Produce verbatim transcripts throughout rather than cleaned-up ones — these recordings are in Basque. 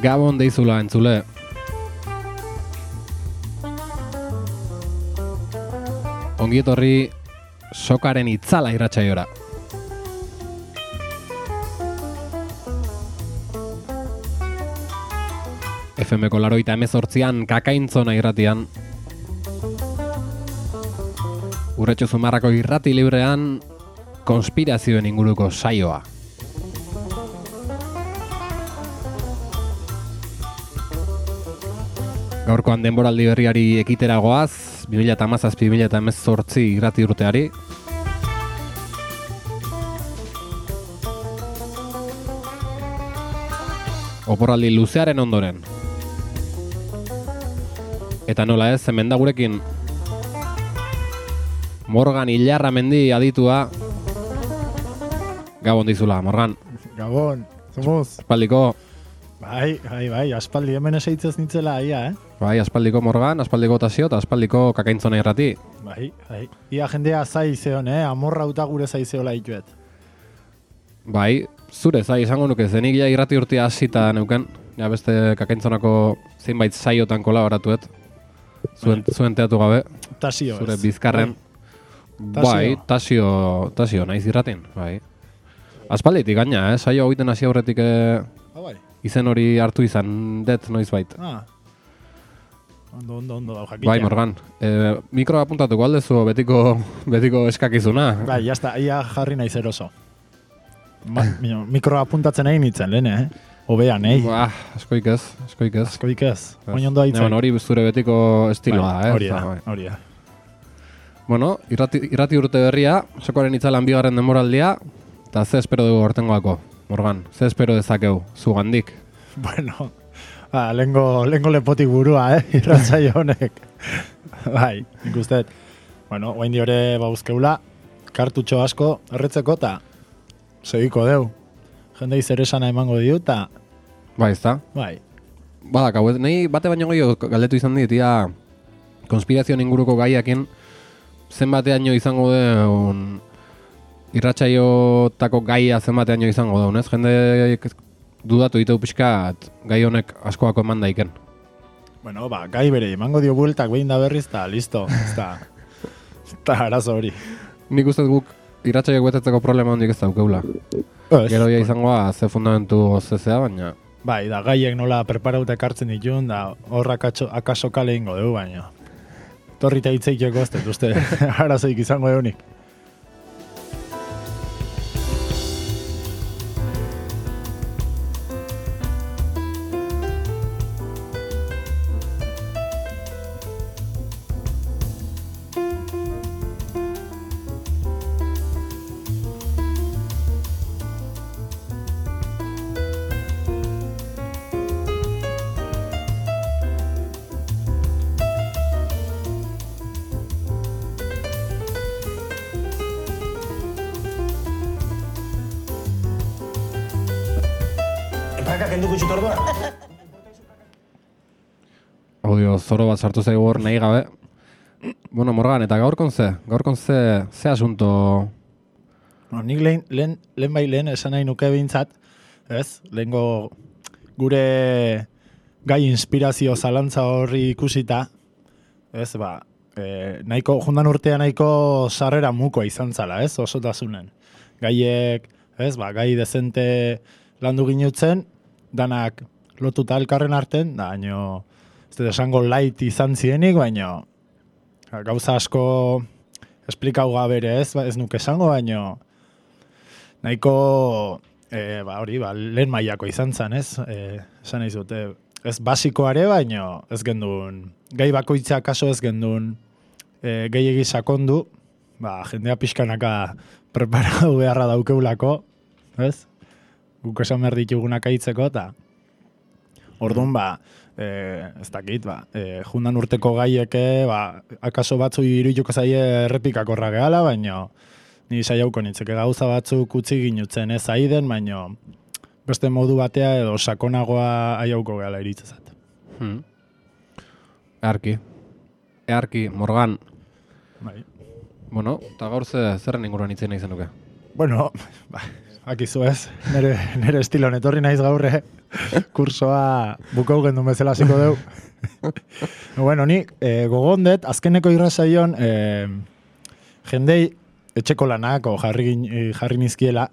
Gabon deizula entzule. Ongi etorri sokaren itzala irratsaiora. F M-ko laroita hemezortzian kakaintzona irratian. Urretxo Zumarrako irrati librean konspirazioen inguruko saioa. Gaurkoan denboraldi berriari ekitera goaz, bi mila hamazazpi bi mila hemezortzi irrati urteari. Oporraldi luzearen ondoren. Eta nola ez, hemen da gurekin Morgan Ilarramendi aditua. Gabon dizula, Morgan. Gabon, somos. Aspaldiko. Bai, bai, bai, aspaldi hemen esaitzez nintzela aia, eh? Bai, aspaldiko Morgan, aspaldiko Tasio eta aspaldiko kakaintzona irrati. Bai, bai. Ia jendea zai zeon, eh? Amorra uta gure zai zeola ituet. Bai, zure zai izango nuke, zenik ja irrati urtia hasita neuken. Ja beste kakaintzonako zeinbait saiotan kolaboratuet. Zuen, zuen teatu gabe. Tasio zure ez. bizkarren. Bai, Tasio, Tasio naiz irratin, bai. Aspalditik gaina, eh? Saio egiten hasi aurretik eh, Ah, bai. izen hori hartu izan det noizbait. Ah. Ondo, ondo, ondo, dau jakitea. Bai, Morgan. Eh, mikroa apuntatuko aldezu betiko, betiko eskakizuna. Bai, jazta, ia jarri naiz eroso. Ma, mikroa apuntatzen egin nintzen, lehen, eh? Obean, eh? Bah, askoik ez, askoik ez. Askoik ez, oin ondo haitzen. Bueno, hori zure betiko estiloa, bai, eh? Hori da, Bai. hori da. Bueno, irrati, irrati urte berria, sokoaren itzalan bigarren denboraldia, eta ze espero dugu hortengoako, Morgan? Ze espero dezakeu, zugandik? Bueno, ba, lengo, lengo lepotik burua, eh? Irratsaio honek. Bai, nik usteet. Bueno, oain diore bauzkeula, kartutxo asko erretzeko eta segiko deu. Jendei zer esana emango diu eta, Bai, ez da? bai, Badak, hau, nahi bate baino gehiago galdetu izan dit, ia konspirazioen inguruko gaiakin, zenbateaino izango deun irratsaiotako gaia zenbateaino izango deun, ez? Jende dudatu ditu pixkat gai honek askoako eman daiken. bueno, ba, gai bere, emango dio bueltak behin da berriz eta listo, ez da, eta arazo hori. Nik uste guk irratsaiok betetzeko problema hondik ez daukeula. Ez, Gero ja izangoa ze fundamentu zezea, baina... bai, da gaiek nola preparauta ekartzen ditun, da horrak akaso kale ingo dugu, baina. Torrita hitzeik joko ez dut, uste, arazoik izango deunik. Audio zoro bat sartu zaigu hor nahi gabe. Bueno, Morgan, eta gaurkon ze? Gaurkon ze, ze asunto... No, nik lehen, lehen, lehen bai lehen esan nahi nuke behintzat, ez? Lehengo gure gai inspirazio zalantza horri ikusita, ez, ba, e, nahiko, jundan urtea nahiko sarrera mukoa izan zala, ez, osotasunen. Gaiek, ez, ba, gai dezente landu ginutzen, danak lotuta elkarren arten, da, baino, ez dut esango light izan zienik, baino, gauza asko esplikau gabere, ez, ba, ez nuke esango, baino, nahiko, e, ba, hori, ba, lehen mailako izan zen, ez? E, esan nahi zute, ez basikoare, baino ez gendun, gai bakoitza kaso ez gendun e, gehiegi sakondu, ba, jendea pixkanaka preparatu beharra daukeulako, ez? Guk esan behar ditugunak aitzeko, eta orduan, ba, e, ez dakit, ba, e, jundan urteko gaieke, ba, akaso batzu irudituko zaie errepikakorra gehala, baino ni saiauko nintzeke gauza batzuk utzi ginutzen ez aiden, baino beste modu batea edo sakonagoa aiauko gehala iritzezat. Hmm. Earki. Earki, Morgan. Bai. Bueno, eta gaur ze, zerren inguruan itzen nahi zenuke? Bueno, ba, akizu ez, nere, nere estilon etorri naiz gaurre, kursoa bukau gendun bezala hasiko deu. Bueno, ni eh, gogondet, azkeneko irrazaion, eh, jendei etxeko lanako jarri, jarri nizkiela,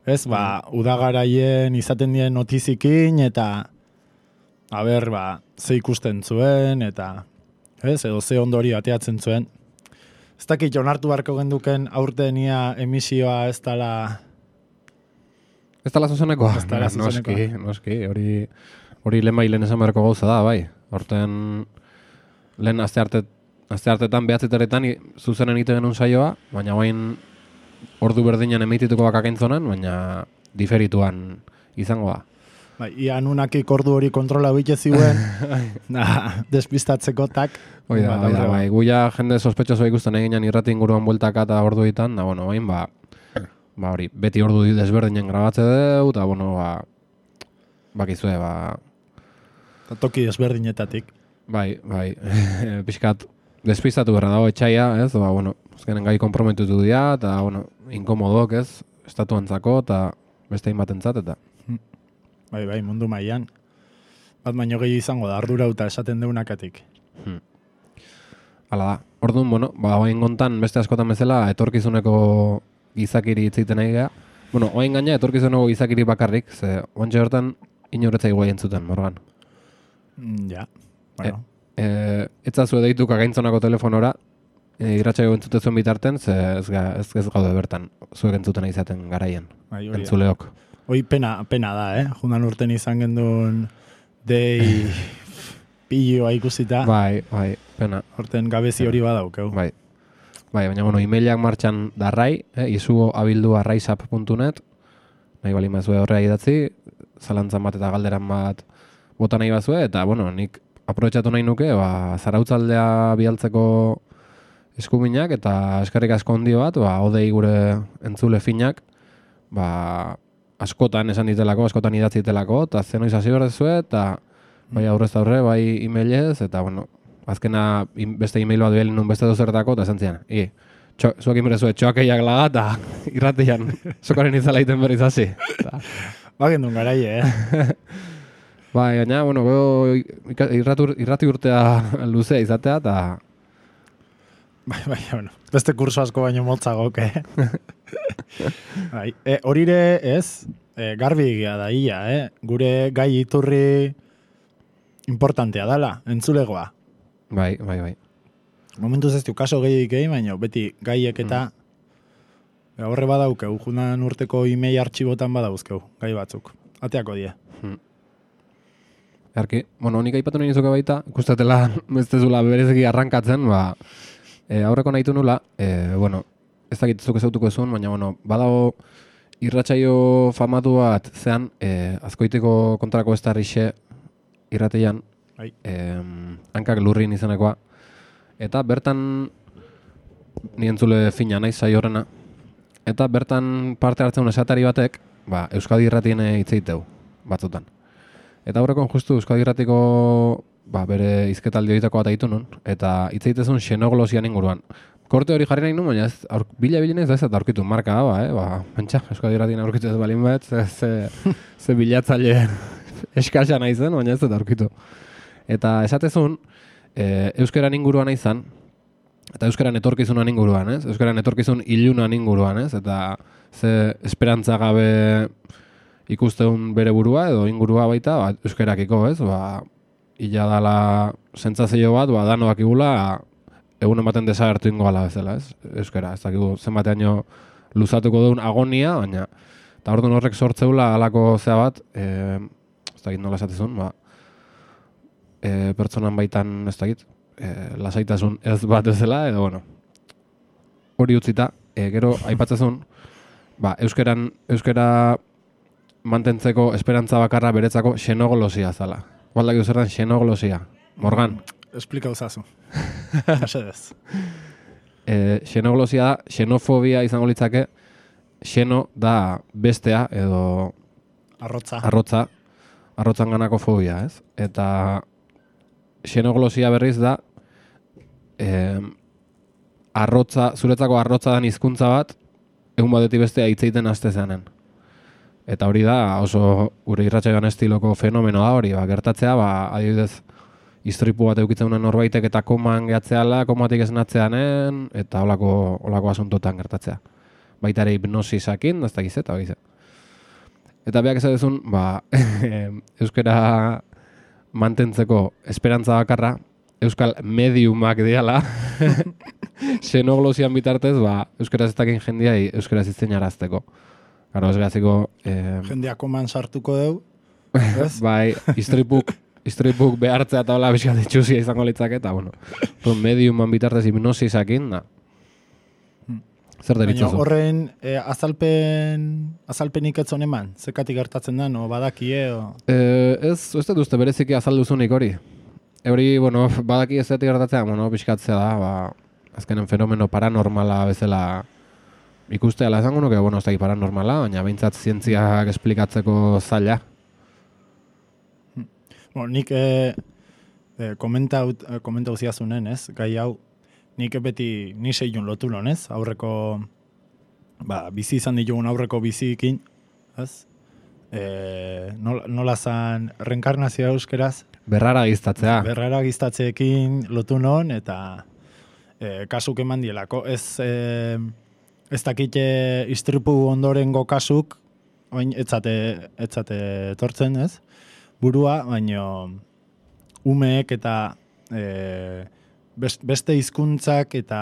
ez, ba, udagaraien izaten dien notizikin, eta, a ber, ba, ze ikusten zuen, eta, ez, edo ze ondori ateatzen zuen. Ez dakit onartu barko genduken aurten ia emisioa ez dala... Ez dala zuzenekoa? Ez dala zuzenekoa. Noski, noski, hori, hori lehen bai lehen esan beharko gauza da, bai. Horten lehen azte arte Azte hartetan behatzetaretan zuzenen ite genuen saioa, baina bain ordu berdinen emitituko bakakaintzonan, baina diferituan izango da. Bai, ia nunakik ordu hori kontrola bitxe ziuen, da, despistatzeko tak. Oida, ba, oida, bai, guia jende sospetxosoa ikusten eginan irrati inguruan bueltaka eta ordu ditan, da, bueno, bain, ba, ba, hori, beti ordu desberdinen grabatze deu, eta, bueno, ba, bakizue, ba... Ta toki desberdinetatik. Bai, bai, pixkat, despistatu berra dago etxaia, ez, ba, bueno, azkenen gai komprometutu dira, eta, bueno, inkomodok, ez, estatuantzako, eta beste inbatentzat, eta... Bai, bai, mundu mailan. Bat baino gehi izango da, ardura eta esaten deunakatik. Hmm. Hala da, orduan, bueno, ba, oain gontan beste askotan bezala, etorkizuneko gizakiri itziten nahi geha. Bueno, oain gaina, etorkizuneko gizakiri bakarrik, ze, ontsa hortan, inoretzai guai entzuten, Morgan. Mm, ja, bueno. E, e, etzazu edeitu kagaintzonako telefonora, e, irratsaio entzute zuen bitarten, ze ez, ga, ez, ez gaude bertan, zuek entzuten izaten garaien, bai, hori, entzuleok. Hoi pena, pena da, eh? Jundan urten izan gendun dei pilloa ikusita. Bai, bai, pena. Horten gabezi hori badaukeu. Bai, bai, baina, bueno, emailak martxan darrai, eh, izugo abildu arraizap puntu net, nahi bali mazue horrea idatzi, zalantzan bat eta galderan bat bota nahi bazue, eta, bueno, nik aprobetxatu nahi nuke, ba, zarautzaldea bialtzeko eskuminak, eta eskerrik asko ondio bat, ba, odei gure entzule finak, ba, askotan esan ditelako, askotan idatzi ditelako, eta zenoiz hasi berdezue, eta bai aurrez aurre, bai emailez, eta, bueno, azkena beste email bat bielin nun beste dozertako, eta esan zian, i, txo, zuak inberezue, txoakeiak laga, eta irratian, sokaren izala iten berriz hasi. Ba, gendun garaie, eh? Bai, gaina, bueno, irrati, irrati urtea luzea izatea, eta... Bai, bai, bueno, beste kurso asko baino motzagok, eh? Bai, e, horire ez, e, garbi egia da ia, eh? Gure gai iturri importantea dala, entzulegoa. Bai, bai, bai. Momentuz ez du kaso gehiagik egin, baina beti gaiek eta mm. horre badaukeu, junan urteko email artxibotan badauzkeu, gai batzuk. Ateako die. Mm. Erki, bueno, nik aipatu nahi nizuke baita, ikustetela bestezula berezeki arrankatzen, ba, e, aurreko nahitu nula, e, bueno, ez dakit zuk ezautuko zuen, baina, bueno, badago irratsaio famatu bat zean, e, azkoiteko kontrako ez tarrixe irrateian, e, hankak lurrin izenekoa, eta bertan ni entzule fina naiz saio horrena, eta bertan parte hartzen esatari batek, ba, Euskadi irratien hitzeiteu, batzutan. Eta aurrekon justu Euskadi irratiko ba, bere izketaldi horietako bat aitu nun, eta hitzeitezun xenoglosian inguruan. Korte hori jarri nahi nun, baina ez, aur, bila bilinez da ez eta aurkitu marka ba, eh? Ba, pentsa, Euskadi irratien aurkitu ez balin bat, ze, ze, ze bilatzaile eskasa nahi zen, baina ez eta aurkitu. Eta esatezun, e, euskeran inguruan nahi zen, eta euskeran etorkizunan inguruan, ez? Euskeran etorkizun ilunan inguruan, ez? Eta ze esperantza gabe ikusteun bere burua edo ingurua baita, ba, euskerakiko, ez? Ba, ila dala sentsazio bat, ba, danoak igula, egun ematen desagertu ingo gala bezala, ez? Euskera, ez dakigu zenbateaino luzatuko duen agonia, baina, eta orduan horrek sortzeula halako zea bat, e, ez dakit nola esatezun, ba, e, pertsonan baitan, ez dakit, e, lasaitasun ez bat ezela, edo, bueno, hori utzita, e, gero aipatzezun, ba, euskeran, euskera mantentzeko esperantza bakarra beretzako xenoglosia zala. Baldak euskeran xenoglosia. Morgan. Esplika uzazu. Mesedez. E, xenoglosia da, xenofobia izango litzake, xeno da bestea edo arrotza. Arrotza. Arrotzan ganako fobia, ez? Eta xenoglosia berriz da eh, arrotza, zuretzako arrotza dan hizkuntza bat, egun batetik bestea hitz egiten haste zeanen. Eta hori da oso gure irratsaioan estiloko fenomeno da hori, ba, gertatzea, ba, adibidez, istripu bat eukitzen duen norbaitek eta koman gehatzeala, komatik esnatzeanen, eta holako holako asuntotan gertatzea. Baita ere hipnosisakin, ez dakiz eta hori. Eta beak ez duzun, ba, euskara mantentzeko esperantza bakarra, euskal mediumak diala, xenoglosian bitartez, ba, euskaraz ez dakin jendiai euskaraz itzen arazteko. Garo, ez gaziko... Eh, Jendeak koman sartuko deu, ez? bai, istripuk, istripuk behartzea eta hola bizkat itxuzia izango litzake, eta bueno, mediuman bitartez hipnosisakin, da. Zer deritzazu? Baina horren eh, azalpen, azalpenik ez zon eman? Zekatik gertatzen da, no badakie? O... Eh, ez, ez dut uste bereziki azalduzunik hori. Hori, bueno, badaki ez zetik gertatzea, bueno, pixkatzea da, ba, azkenen fenomeno paranormala bezala ikustea la esango nuke, bueno, ez da paranormala, baina behintzat zientziak esplikatzeko zaila. Bueno, nik eh, eh, komentau, eh, komentau ziazunen, ez? Gai hau, nik beti ni seiun lotu lon, ez? Aurreko, ba, bizi izan ditugun aurreko bizikin, ez? E, nola, nola zan reenkarnazioa euskeraz? Berrara giztatzea. Berrara giztatzeekin lotu non, eta e, kasuk eman dielako. Ez, e, ez dakite istripu ondorengo kasuk, oin, etzate, etzate etortzen, ez? Burua, baino umeek eta e, beste hizkuntzak eta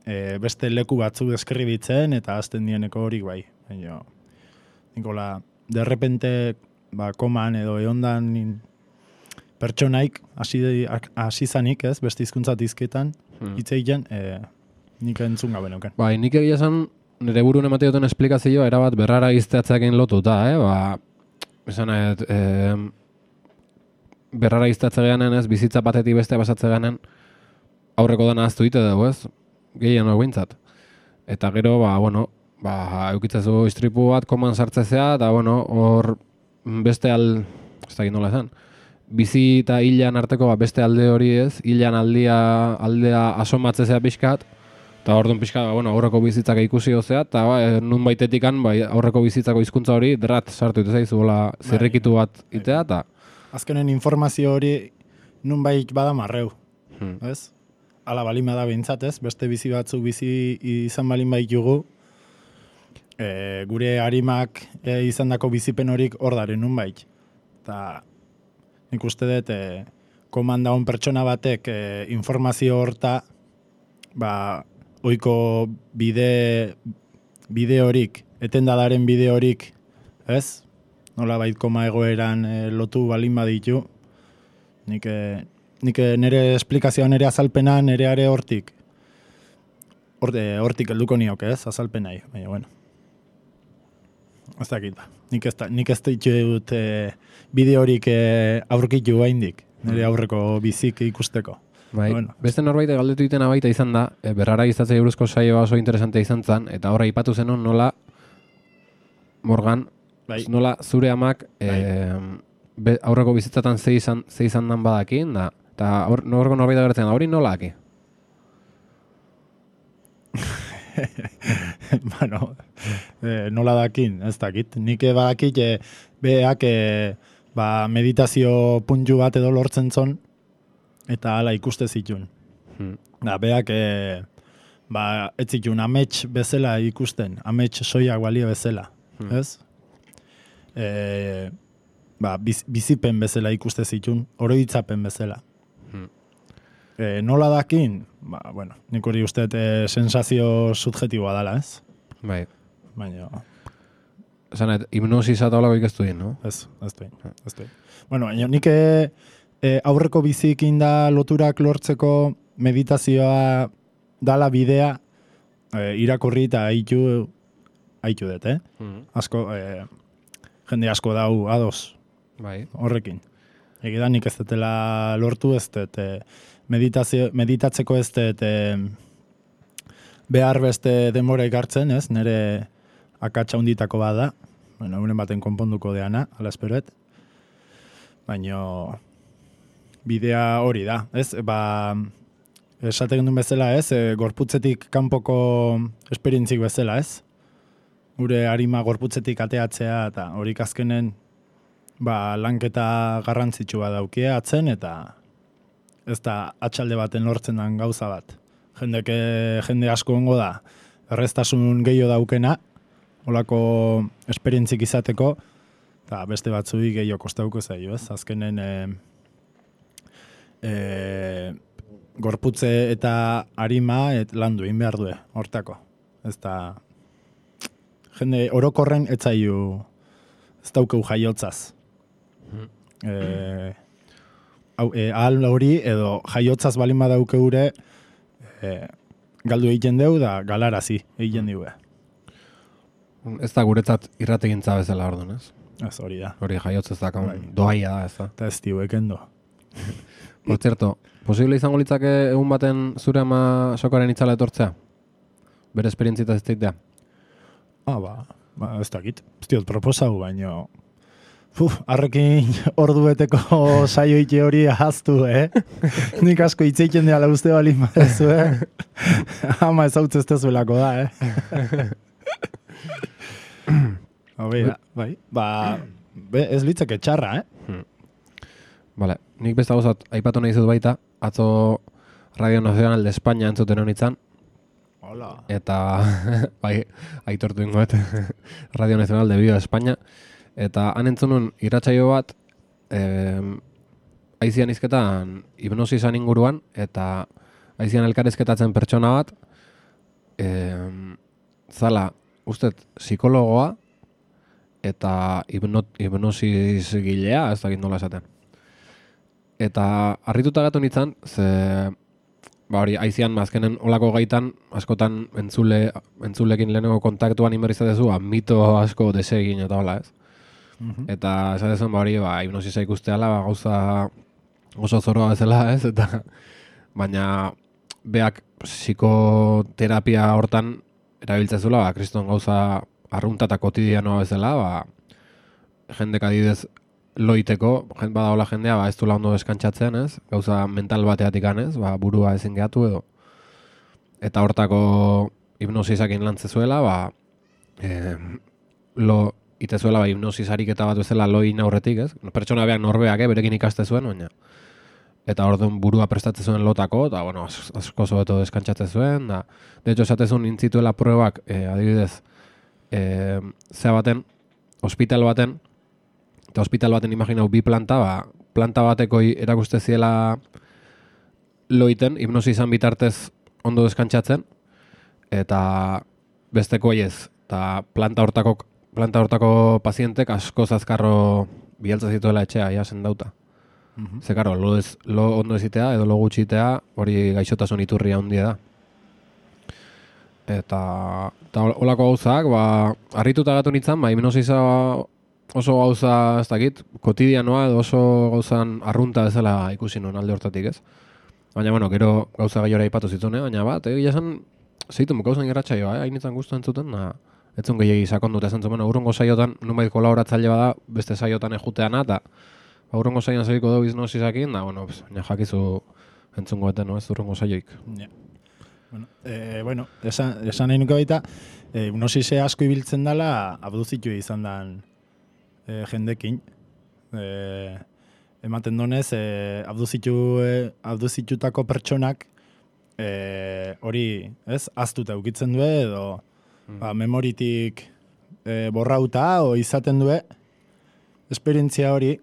e, beste leku batzuk deskribitzen eta azten dieneko hori bai. Baina, Nikola, derrepente, ba, koman edo eondan pertsonaik hasi zanik, ez, beste hizkuntza dizketan, hmm. hitz egiten, e, nik entzun gabe neuken. Bai, nik egia esan, nire burun emate duten esplikazioa erabat berrara izteatzeakin lotuta, eh? Ba, esan, et, e, berrara iztatze geanen, ez, bizitza batetik beste pasatze geanen, aurreko dana aztu ite dugu, ez? Gehien hori bintzat. Eta gero, ba, bueno, ba, eukitzazu istripu bat koman sartzezea, eta, bueno, hor beste al... ez da nola esan. Bizi eta hilan arteko ba, beste alde hori ez, hilan aldia, aldea asomatzezea pixkat, eta orduan pixkat, ba, bueno, aurreko bizitzak ikusi dozea, eta ba, nun baitetikan ba, aurreko bizitzako hizkuntza hori drat sartu ite zaizu, bola, zirrikitu bat itea, eta... Azkenen informazio hori nun bait bada marreu, hmm. ez? Ala balin bada behintzat, ez? Beste bizi batzuk bizi izan balin baitugu, e, gure harimak e, izandako bizipen horik hor daren nun bait. Eta nik uste dut, e, komanda hon pertsona batek e, informazio horta, ba, oiko bide, bide horik, etendadaren bide horik, ez? Nola bait koma egoeran e, lotu balin baditu, nik... E, Nik nire esplikazioa, nire azalpena, nire are hortik. Hortik helduko nioke, ez, azalpenai. Baina, bueno. Ez dakit ba. Nik ez, da, nik ez ditut e, bide horik e, aurkitu haindik. Nire aurreko bizik ikusteko. Bai, bueno. Beste norbait galdetu ditena baita izan da, e, berrara giztatzei buruzko saioa oso interesante izan zen, eta horra aipatu zenon nola, Morgan, bai. Nola zure amak bai. e, be, aurreko bizitzatan ze izan, ze izan dan badakin, da, eta norko norbait agertzen da, hori nola aki? bueno, e, nola dakin, ez dakit. Nik badakit, e, beak e, ba, meditazio puntu bat edo lortzen zon, eta hala ikuste zitun. Hmm. Da, beak, e, ba, ez zitun, amets bezala ikusten, amets soiak balio bezala, hmm. ez? E, ba, biz, bizipen bezala ikuste zitun, oroitzapen bezala. Hmm. E, nola dakin? Ba, bueno, nik hori uste e, sensazio subjetiboa dela, ez? Bai. Baina... Esan, hipnosis eta holako ikestu dien, no? Ez, ez duin, ez duin. Bueno, baina nik e, e, aurreko bizikin da loturak lortzeko meditazioa dala bidea e, irakurri eta haitu haitu dut, eh? Mm-hmm. Asko, e, jende asko dau ados bai. Horrekin. Egidan nik ez dutela lortu ez dut, e, meditazio, meditatzeko ez dut e, behar beste denbora ikartzen, ez? Nire akatsa hunditako bada, bueno, unen baten konponduko deana, ala esperoet. Baina bidea hori da, ez? Ba, esaten duen bezala, ez? E, gorputzetik kanpoko esperientzik bezala, ez? gure arima gorputzetik ateatzea, eta hori azkenen ba, lanketa garrantzitsua daukia atzen, eta ez da atxalde baten lortzen den gauza bat. Jendeke, jende asko ongo da, erreztasun gehiago daukena, olako esperientzik izateko, eta beste batzui gehiago kostauko zaio, ez? Azkenen e, e, gorputze eta arima et landu egin behar due, hortako. Ez da, jende orokorren etzaiu, ez daukeu jaiotzaz. E, hau, e, ahal hori edo jaiotzaz balin badaukeure e, galdu egiten deu da galarazi egiten diue. Ez da guretzat irrategintza bezala orduan, ez? Ez hori da. Hori jaiotz ez da, Bai. doaia da, ez da. Eta ez diu ekendo. Por cierto, posible izango litzake egun baten zure ama sokaren itzala etortzea? Bere esperientzita ez deitea? Ah, ba, ba ez dakit. Ez diot proposau, baino... Uf, arrekin ordueteko saioite hori ahaztu, eh? Nik asko itzeiten dela uste balin badezu, eh? Ama ezautz ez tezuelako da, eh? Bai, bai. Ba, be, ez litzake txarra, eh? Hmm. Vale, nik beste gauzat aipatu nahi zut baita, atzo Radio Nacional de España entzuten honitzan. Hola. Eta, bai, aitortu ingoet, Radio Nacional de Bio de España. Eta han entzunun irratsaio bat, eh, aizian izketan hipnosisan inguruan, eta aizian elkarrizketatzen pertsona bat, eh, zala, ustet, psikologoa, eta hipnot, hipnosis gilea, ez dakit nola esaten. Eta harrituta gatu nintzen, ze, ba hori, aizian azkenen olako gaitan, askotan entzule, entzulekin lehenengo kontaktuan inberrizatezu, mito asko desegin eta hola, ez? Mm-hmm. Eta esatezen, ba hori, ba, hipnosisa ikusteala, ba, gauza oso zoroa bezala, ez? Eta, baina, beak psikoterapia hortan erabiltzezula, ba, kriston gauza arrunta eta kotidianoa bezala, ba, jendek adibidez loiteko, jend badaola jendea, ba, ez du ondo deskantzatzen, ez? Gauza mental bateatik anez, ba, burua ezin gehatu edo. Eta hortako hipnosisakin lantzezuela, ba, eh, lo itezuela, ba, hipnosis ariketa bat bezala loin aurretik, ez? Pertsona beak norbeak, eh, berekin ikaste zuen, baina. Eta orduan burua prestatze zuen lotako, eta, bueno, asko zobeto deskantzatze zuen, da, de hecho, esatezun intzituela pruebak, eh, adibidez, eh, zea baten, hospital baten, eta hospital baten imaginau bi planta, ba, planta bateko erakuste ziela loiten, hipnosizan bitartez ondo deskantzatzen, eta besteko ez, eta planta hortako, planta hortako pazientek asko zazkarro bialtza zituela etxea, ja sendauta. Mm-hmm. Ze, karo, lo, ez, lo ondo ezitea edo lo gutxitea hori gaixotasun iturria handia da. Eta, eta olako gauzak, ba, harrituta gatu nintzen, ba, hipnosisa oso gauza, ez dakit, kotidianoa edo oso gauzan arrunta bezala ikusi nuen alde hortatik, ez? Baina, bueno, gero gauza gaiora ipatu zituen, eh? Baina bat, egia esan, zeitu gauzan irratsaioa, eh? Hainitzen guztu entzuten, na, etzun gehiagi sakondut esan zuen, urrungo saiotan, nunbait kolaboratzaile bada, beste saiotan ejuteana, eta ba, urrungo saioan zeriko dugu iznosizakin, da, bueno, baina jakizu entzungo eten, no, ez urrungo saioik. Yeah. Bueno, eh, bueno, esan, esan nahi nuke baita, eh, hipnosise asko ibiltzen dela, abduzitu izan dan eh, jendekin. Eh, ematen donez, eh, abduzitu, eh, abduzitutako pertsonak eh, hori, ez, aztuta ukitzen du edo mm. ba, memoritik eh, borrauta o izaten du esperientzia hori,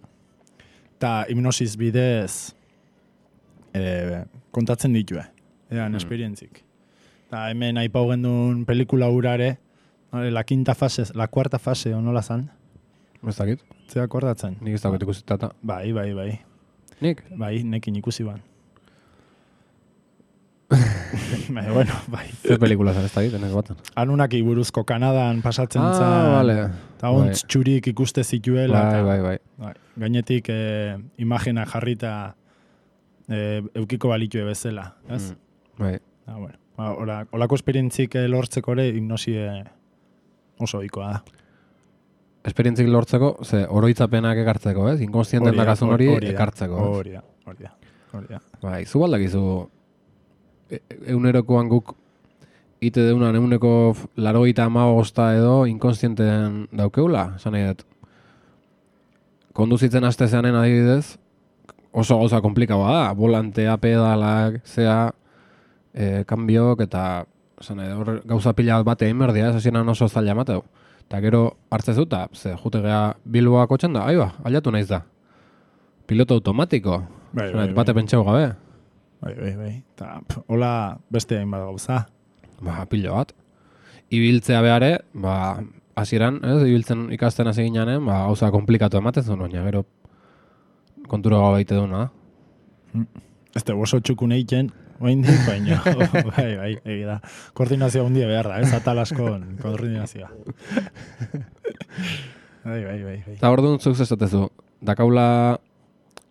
eta hipnosis bidez eh, kontatzen ditue. Ean, mm. esperientzik. Eta hemen aipau gendun pelikula urare, la quinta fase, la cuarta fase, o nola zan? Ez dakit? Zea akordatzen? Nik ez dakit ikusitata. Bai, bai, bai. Nik? Bai, nekin ikusi ban. bai, bueno, bai. Zer pelikula zen ez dakit, enek baten. Anunak iburuzko Kanadan pasatzen ah, zan. Ah, vale. Eta ontz bai. Txurik ikuste zituela. Bai, ta, bai, bai. bai. Gainetik eh, imagina jarrita eh, eukiko balitue bezala, ez? Mm. Bai. Ah, bueno. Ola, olako esperientzik lortzeko ere hipnosie oso ohikoa da. Esperientzik lortzeko, ze oroitzapenak ekartzeko, ez? Inkonstienten dakazun hori ekartzeko. Hori da, hori da, hori da. Bai, zu baldakizu, e, eunerokoan guk ite deunan eguneko larogeita hamabosta edo inkonstienten daukeula, esan nahi dut. Konduzitzen haste zeanen adibidez, oso gauza komplikaua da, volantea, pedalak, zea, e, kanbiok eta esan nahi, hor gauza pila bat egin berdia, ez hasieran oso zaila mateu. Eta gero hartzezu eta, ze, jute gea Bilboa kotxen da, aiba, aliatu naiz da. Piloto automatiko, Bai, esan bai, nahi, bate bai. pentsau gabe. Bai, bai, bai. Ta, pf, hola beste hainbat gauza. Ba, pilo bat. Ibiltzea behare, ba, hasieran, ez, ibiltzen ikasten hasi ginean, ba, gauza komplikatu ematen zuen, baina gero kontura gau baite duna. Ez da, oso txukun egiten, oindik, baina, bai, bai, egi da. Koordinazioa hundia behar da, ez, atal askon koordinazioa. Bai, bai, bai, bai. Eta hor duen zuk zezatezu, dakaula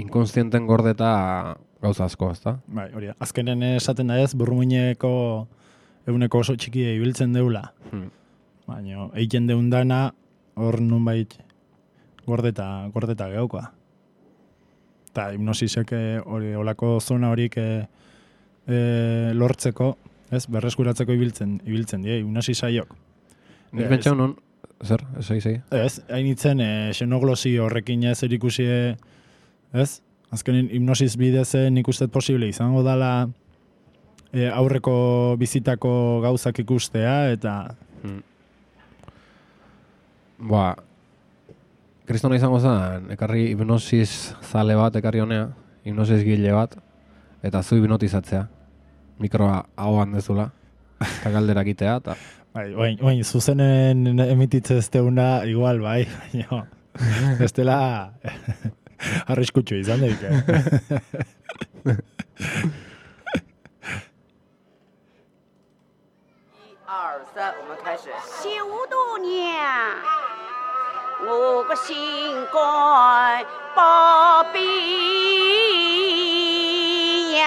inkonstienten gordeta gauza asko, ezta? Bai, hori da. Azkenen esaten da ez, burmuineko eguneko oso txikia ibiltzen deula. Hmm. Baina, egiten deun dana, hor nunbait gordeta, gordeta geukoa. Eta hipnosisek eh, hori olako zona horik eh, eh, lortzeko, ez, berreskuratzeko ibiltzen, ibiltzen die, hipnosis saiok. Nik Ez. pentsau non, zer, esai, esai. Ez, hain itzen, e, xenoglosi horrekin ez erikusi, ez? Azkenin hipnosis bidez eh, nik uste posible izango dala e, aurreko bizitako gauzak ikustea, eta Hmm. Ba, kristona izango zen, ekarri hipnosis zale bat, ekarri honea, hipnosis gile bat, eta zu hipnotizatzea. Mikroa ahoan dezula, eta galderak itea, eta bai, oin, oin, zuzenen emititze ez deuna, igual, bai, baina, ez dela arriskutsu izan daik, eh? 二三，我们开始。小度娘，我个心肝宝贝呀，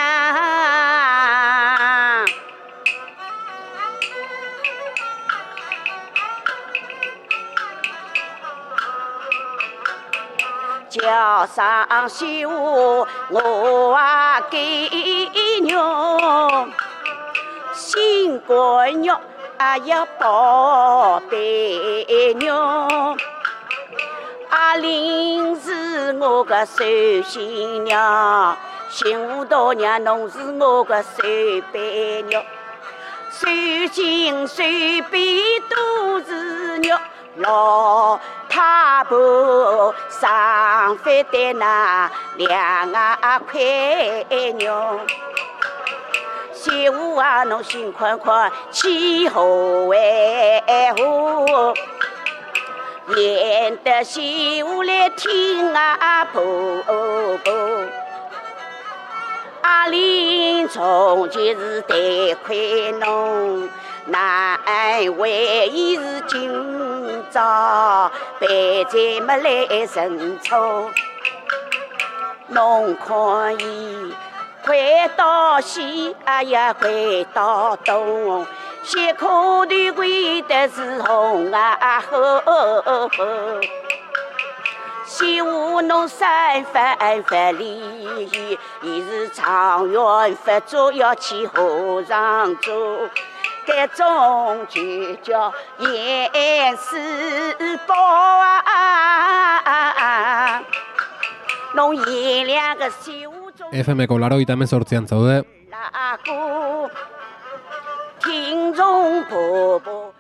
叫上绣我啊给娘。新闺女啊呀宝贝娘，阿玲是我个寿新娘，新大娘侬是我个寿伯娘，寿亲寿辈都是娘，老太婆上饭的那两啊块娘。媳妇啊，侬心宽宽，气候为好，演得媳妇来听啊婆婆。阿玲从前是得亏侬，难为伊是今朝白菜没来认错，侬看伊。快到西，哎呀，快到东，西口的归的是红啊呵呵呵，西湖侬三番番里，伊是长远发作要去河上走，这种就叫严世宝啊，侬演两个修。 F M-ko larogeita hemezortzian zaude.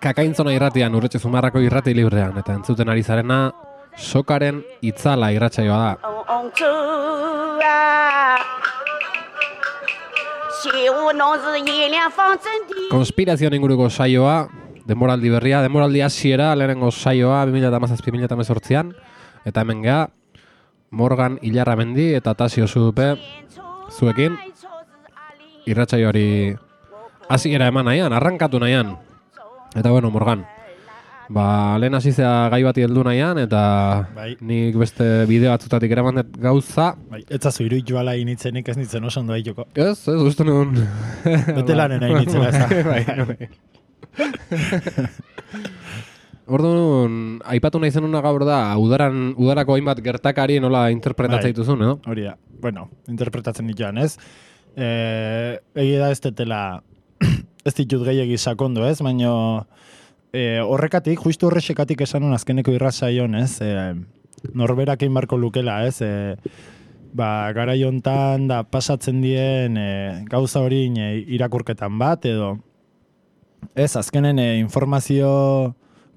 Kakaintzona irratian, Urretxe Zumarrako irrati librean, eta entzuten ari zarena sokaren itzala irratsaioa da. Konspirazioan inguruko saioa, denboraldi berria, denboraldi hasiera, lehenengo saioa, bi mila hamazazpi bi mila hemezortzian, eta hemen geha, Morgan Ilarramendi eta Tasio Zudupe zuekin irratsaioari hasiera eman nahian, arrankatu nahian. Eta bueno, Morgan, ba, lehen hasizea gai bati heldu nahian, eta bai. Nik beste bideo batzutatik eraman dut gauza. Bai, etzazu iruditu ala initzenik ez nitzen oso ondo daituko. Ez, ez, uste nuen. Bete lanen nahi nitzen ez. Bai, bai. Orduan, aipatu nahi zenuna gaur da, udaran, udarako hainbat gertakari nola interpretatzen dituzun, edo? Hori da, bueno, interpretatzen dituan, ez? E, Egi da ez tetela, ez ditut gehiagi sakondu, ez? Baina e, horrekatik, justu horrexekatik esan hon azkeneko irrazaion, ez? E, norberak egin barko lukela, ez? E, ba, garai hontan da pasatzen dien e, gauza hori e, irakurketan bat, edo ez, azkenen e, informazio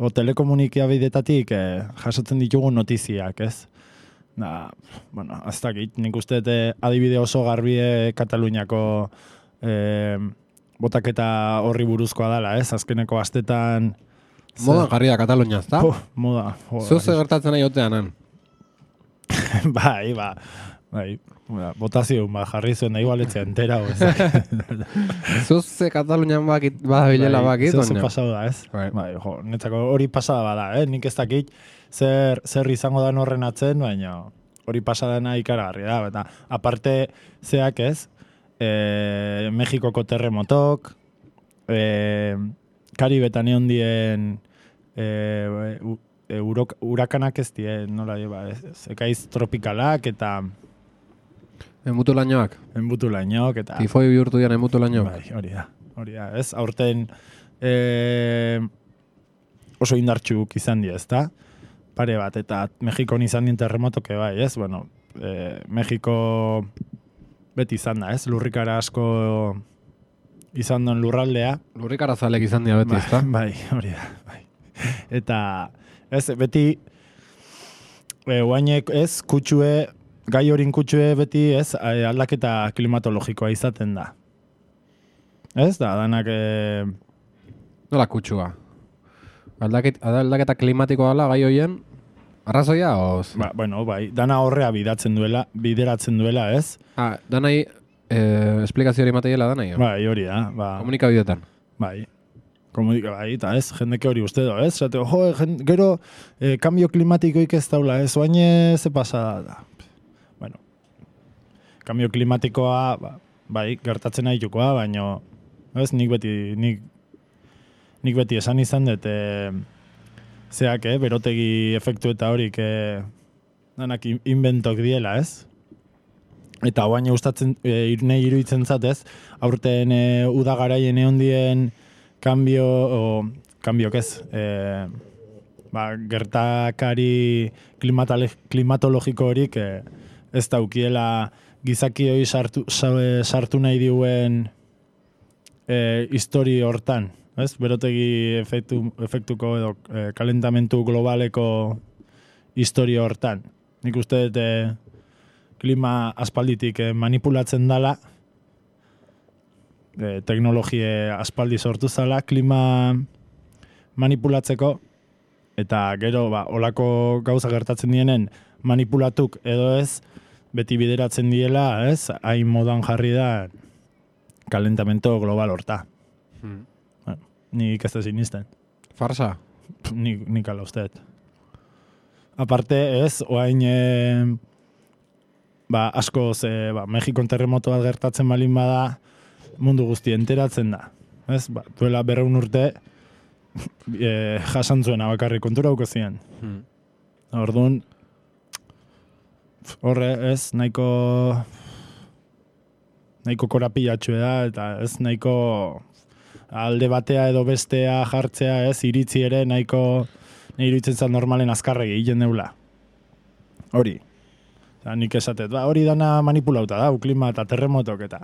o telekomunikabidetatik e, jasotzen ditugu notiziak, ez? Da, bueno, aztakit, nik uste e, adibide oso garbie Kataluniako e, botaketa horri buruzkoa dela, ez? Azkeneko astetan... Modan jarri da Katalunia, ezta? Puh, moda. Zuze gertatzen nahi otean, han? bai, ba, bai, botazio, ba, jarri zuen da igualetzea entera, Zuze Katalunian bakit, badabilela bakit, baina. Zuze pasau da, ez? Bai. Bai, jo, netzako hori pasada bada, eh? Nik ez dakit zer, zer izango da horren atzen, baina hori pasadana ikaragarri da, eta aparte zeak ez, e, Mexikoko terremotok, e, Karibetan egon dien e, e, urok, urakanak ez dien, nola ba, ekaiz tropikalak eta Enbutu lainoak. Enbutu lainoak eta... Tifoi bihurtu dian enbutu lainoak. Bai, hori da, hori da, ez? Aurten e, oso indartxuk izan di, ez da? Pare bat, eta Mexikon izan dien terremotoke bai, ez? Bueno, e, Mexiko beti izan da, ez? Lurrikara asko izan duen lurraldea. Lurrikara zalek izan dira beti, Bai, ez da? bai, hori da, bai. Eta, ez, beti, e, guainek, ez, kutsue, gai horin kutsue beti, ez, aldaketa klimatologikoa izaten da. Ez, da, danak... E... Nola kutsua? Aldaket, aldaketa klimatikoa dela gai hoien, arrazoia, oz? Ba, bueno, bai, dana horrea bidatzen duela, bideratzen duela, ez? Ah, danai, eh, esplikazio hori mateiela danai? Bai, hori da, ba... Komunikabideetan? Bai. Komunika, bai, eta ez, jendeke hori uste do, ez? Zate, jo, jende, gero, eh, kambio klimatikoik ez daula, ez? Oaine ze pasada da. Bueno, kambio klimatikoa, ba, bai, gertatzen nahi jukoa, baina, ez, nik beti, nik, nik beti esan izan dut, e, zeak, eh, berotegi efektu eta horik, e, danak inventok diela, ez? Eta oain gustatzen, e, nahi iruditzen zatez, aurten e, udagaraien egon dien kambio, o, kambiok ez, e, ba, gertakari klimatologiko horik, e, ez daukiela gizaki hori sartu, sartu nahi diuen e, histori hortan, ez? Berotegi efektu, efektuko edo e, kalentamentu globaleko histori hortan. Nik uste dut e, klima aspalditik e, manipulatzen dala, e, teknologie aspaldi sortu zala, klima manipulatzeko, eta gero, ba, olako gauza gertatzen dienen manipulatuk edo ez, beti bideratzen diela, ez, hain modan jarri da kalentamento global horta. Hmm. Bueno, nik ez da sinisten. Farsa? Nik, nik ala usteet. Aparte, ez, oain, e, ba, askoz, e, ba, Mexikon terremoto bat gertatzen balin bada, mundu guzti enteratzen da. Ez, ba, duela berreun urte, e, jasan zuena bakarri kontura hauko zian. Hmm. Orduan, horre, ez, nahiko nahiko korapilatxue da, eta ez nahiko alde batea edo bestea jartzea, ez, iritzi ere nahiko nahi iruditzen zan normalen azkarregi egiten deula. Hori. Eta nik esatet, ba, hori dana manipulauta da, klima eta terremotok eta.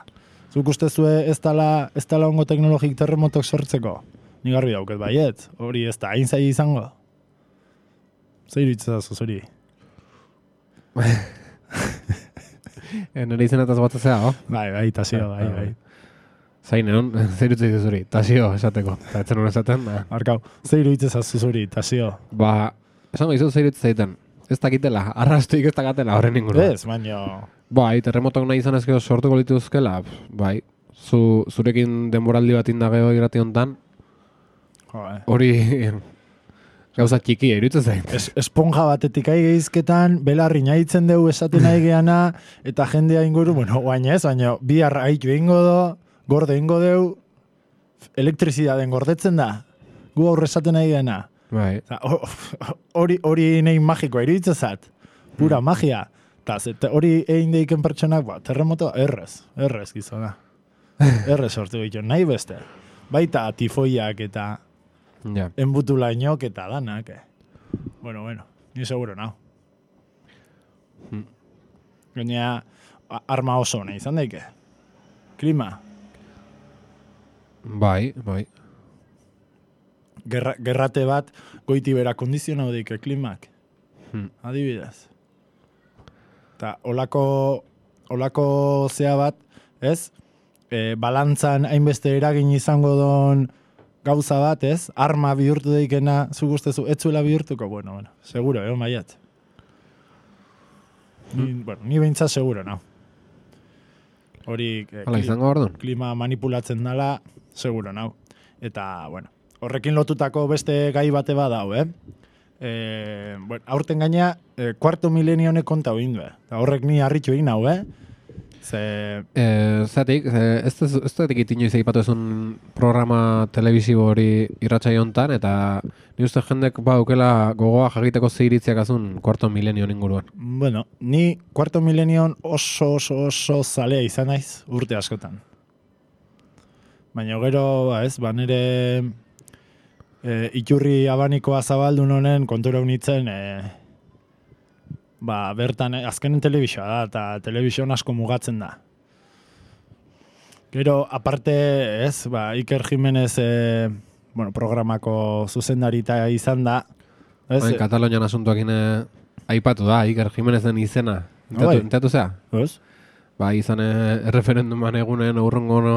Zuk ustezue ez dala, ez dala ongo teknologik terremotok sortzeko? Nik garbi dauket baiet, hori ez da, hain zai izango. Zer iruditzen zazuz hori? Nire izenetaz batzazea, oh? Bai, bai, tasio, bai, bai. Zain, egon, zer iruditzen zuzuri, tasio esateko. Eta etzen hori esaten, da. Arkau, zer iruditzen zuzuri, tasio? Ba, esango izu zer iruditzen zaiten. Ez dakitela, arrastuik ez dakatela horren inguru. Ez, baina... Bai, terremotok nahi izan ezkeo sortuko lituzkela, bai. Zu, zurekin denboraldi bat indageo irati hontan, hori... Gauza txiki, iruditzen zain. Es, esponja batetik aigezketan, belarri nahitzen dugu esaten nahi geana, eta jendea inguru, bueno, baina ez, baina bi arraitu ingo do, gorde ingo dugu, elektrizidaden gordetzen da, gu aurre esaten nahi geana. Bai. Hori hori nahi magikoa iruditzen zat, pura hmm. magia. Eta hori egin deiken pertsonak, ba, terremoto, errez, errez gizona. Errez sortu ditu, nahi beste. baita tifoiak eta Ja. enbutulainok eta danak. Eh. Bueno, bueno, ni seguro nao. Hmm. Gainea, a- arma oso ona izan daike. Klima, Bai, bai. gerra, gerrate bat goiti bera kondizionau daike klimak. Hmm. Adibidez. Eta olako, olako zea bat, ez? E, balantzan hainbeste eragin izango don gauza bat, ez? Arma bihurtu daikena, zu guztezu, etzuela bihurtuko, bueno, bueno, seguro, egon baiat. Ni, bueno, ni behintzat seguro, no? Hori, eh, Hala kli- izango orduan. klima manipulatzen dala, seguro, nau. Eta, bueno, horrekin lotutako beste gai bate badau, eh? E, bueno, aurten gaina, e, kuarto milenio honek konta egin du, eh? Eta horrek ni harritu egin nau, eh? Ze, Eh, zatik, eh, ez ez ez dut egit inoiz eipatu ezun programa telebisibo hori irratsaio hontan, eta ni uste jendek baukela gogoa jakiteko ze iritziak azun kuarto milenio inguruan. bueno, ni kuarto milenion oso oso oso zalea izan naiz urte askotan. Baina gero, ba ez, ba nire e, iturri abanikoa zabaldun honen kontura unitzen, e, ba bertan, e, azkenen telebizioa da, eta telebizioan asko mugatzen da. Gero, aparte, ez, ba, Iker Jimenez e, bueno, programako zuzendarita izan da, ez, Hain Katalonian asuntuakin eh, aipatu da, Iker Jimenezen izena. Ah, bai. Entatu zea? ez? Ba, izan eh, erreferenduman egunen aurrengo no,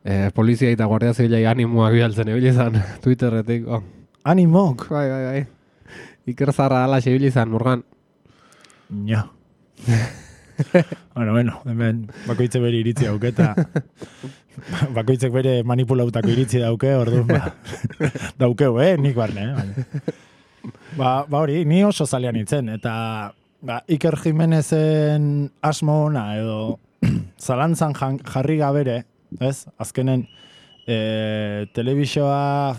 eh, polizia eta guardia zibilai animoak bialtzen ebili izan Twitterretik. Oh. Animok! Bai, bai, bai. Iker zarra ala ibili izan, Murgan. Ja. bueno, bueno, hemen bakoitze bere iritzi dauke eta bakoitzek bere manipulautako iritzi dauke, orduan ba, daukeu, eh, nik barne, eh? Baina. Ba, ba hori, ni oso zalean itzen, eta ba, Iker Jimenezen asmo ona edo zalantzan jan- jarri gabere, ez? Azkenen e, telebizioa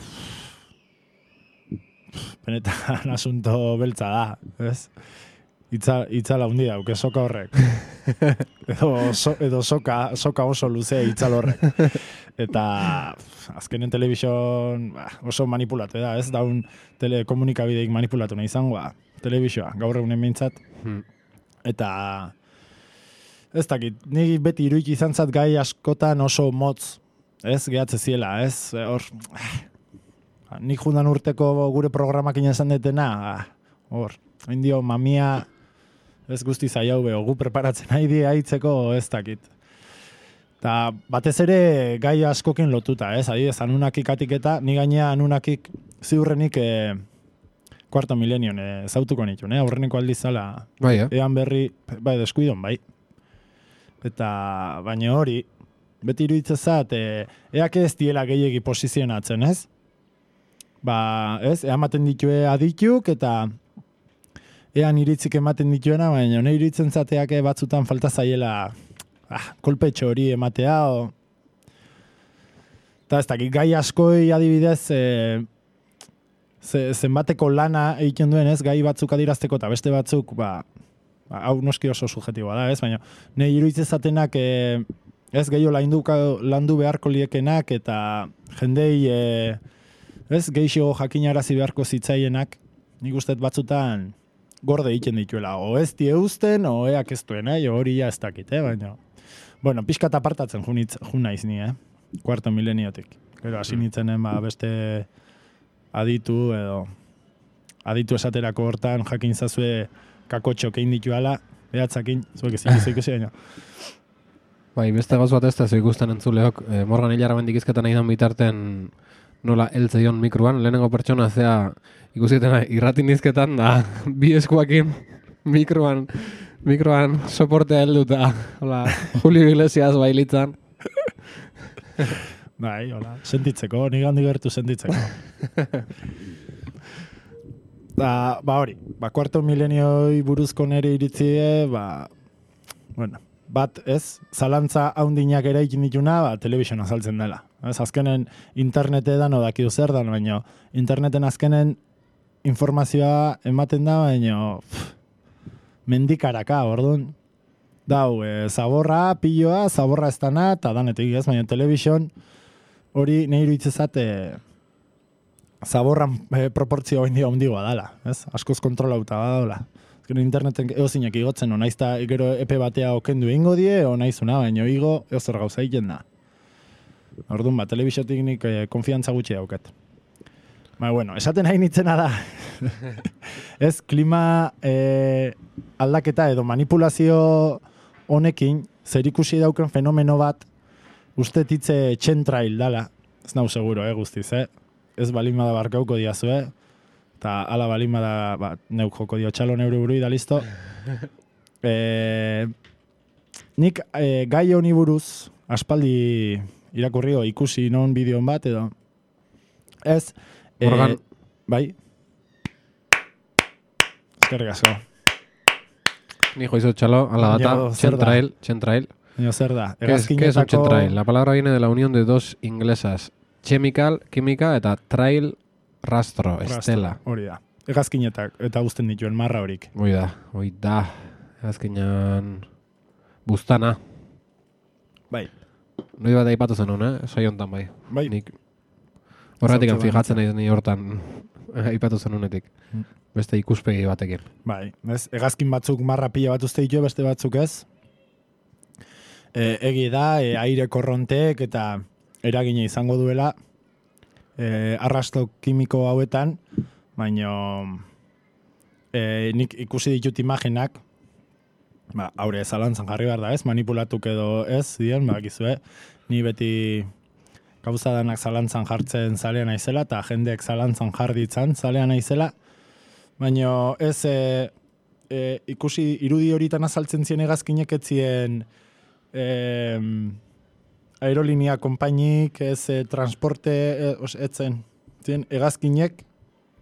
benetan asunto beltza da, ez? Itza, itzala hundi dauke soka horrek. edo, so, edo soka, soka oso luzea itzal horrek. Eta pff, azkenen telebizion ba, oso manipulatu da, ez? Daun telekomunikabideik manipulatu nahi izangoa. Telebizioa, gaur egunen behintzat. Hmm. Eta ez dakit, ni beti iruik izan zat gai askotan oso motz, ez? Gehatze ziela, ez? Hor, ah, nik jundan urteko gure programak esan detena, ah, hor, indio mamia, ez guzti zaiau beho, gu preparatzen nahi di haitzeko ez dakit. Ta batez ere gai askokin lotuta, ez? Adibidez, Anunnakik atiketa, ni gainea Anunnakik ziurrenik e, kuarto milenion e, zautuko nituen, eh? Aurreneko aldiz zala, Bai, eh? ean berri, bai, deskuidon, bai. Eta, baina hori, beti iruditzezat, e, eak ez diela gehiegi posizionatzen, ez? Ba, ez, ematen ditue adituk, eta ean iritzik ematen dituena, baina ne iritzen zateak batzutan falta zaiela ah, kolpetxo hori ematea, o... Eta ez dakit, gai askoi adibidez, e, ze, zenbateko lana egiten duen, ez, gai batzuk adirazteko, eta beste batzuk, ba, ba, hau noski oso subjetiboa da, ez, baina ne iruditzen zatenak, e, ez, gehiago landu, landu beharko liekenak, eta jendei, e, ez, geixo jakinarazi beharko zitzaienak, nik usteet batzutan, gorde egiten dituela, o ez die eusten, o eak ez duen, eh? Hori ja ez dakit, eh? Baina, bueno, pixkat apartatzen junitz, jun naiz ni, eh? Kuarto mileniotik. Gero, hasi nintzenen, ba, beste aditu, edo, aditu esaterako hortan, jakin zazue kakotxok egin dituala, behatzakin, zuek ezin gizu ikusi, baina. Bai, beste gauz bat ez da zu ikusten entzuleok, eh, Morgan Hilara bendikizketan nahi dan bitarten nola eltzeion mikroan, lehenengo pertsona zea ikusitena irratin izketan da bi eskuakin mikroan mikroan soportea helduta, hola, Julio Iglesias bailitzan. Bai, hola, sentitzeko, nik handi gertu sentitzeko. da, ba hori, ba, kuarto milenioi buruzko nere iritzie, ba, bueno, bat, ez, zalantza haundinak ere ikin dituna, ba, telebizion azaltzen dela. Ez, azkenen internete da no dakidu zer dan, baina interneten azkenen informazioa ematen da, baina pff, mendikaraka, orduan. Dau, e, zaborra, piloa, zaborra ez dana, eta danetik ez, baina telebizion, hori nahi iruditzezat e, zaborran e, proportzio handia handigoa dala, ez? Askoz kontrolauta badaola. Gero interneten eozinak igotzen, o naizta gero epe batea okendu ingo die, o naizuna, baina igo eozer gauza egiten da. Orduan ba, telebisiotik nik e, konfiantza gutxi daukat. Ba, bueno, esaten hain itzena da. Ez, klima e, aldaketa edo manipulazio honekin, zerikusi dauken fenomeno bat, uste titze txentrail dala. Ez nau seguro, eh, guztiz, eh? Ez balin bada barkauko diazu, eh? Eta ala balin bada, ba, neuk joko dio txalo neure burui da listo. E, nik e, gai honi buruz, aspaldi irakurrio ikusi non bideon bat, edo. Ez, Morgan. E, bai? Eskerrik asko. Ni joizo txalo, ala data, Baina, zer da? txentrail, txentrail. Baina zer da? ¿Qué es, ¿Qué es un txentrail? La palabra viene de la unión de dos inglesas, chemical, química, eta trail, rastro, estela. Hori da. Hegazkinetak eta uzten dituen marra horik. Hoi da, hoi da. Hegazkinan buztana. Bai. Noi bat aipatu zenun, eh? Sai hontan bai. Bai. Nik horretik Zautze fijatzen naiz ni hortan aipatu zenunetik. Beste ikuspegi batekin. Bai, ez, hegazkin batzuk marra pila bat uste ditu, beste batzuk ez. E, egi da, e, aire korronteek eta eragina izango duela e, arrasto kimiko hauetan, baina e, nik ikusi ditut imaginak, ba, haure zalantzan jarri behar da ez, manipulatuk edo ez, dien, ba, gizue, ni beti gauza danak zalantzan jartzen zalean naizela, eta jendeek zalantzan jarditzan zalean naizela, baina ez e, e, ikusi irudi horitan azaltzen zien hegazkinek etzien e, aerolinia konpainik, ez e, transporte e, os, etzen, zien hegazkinek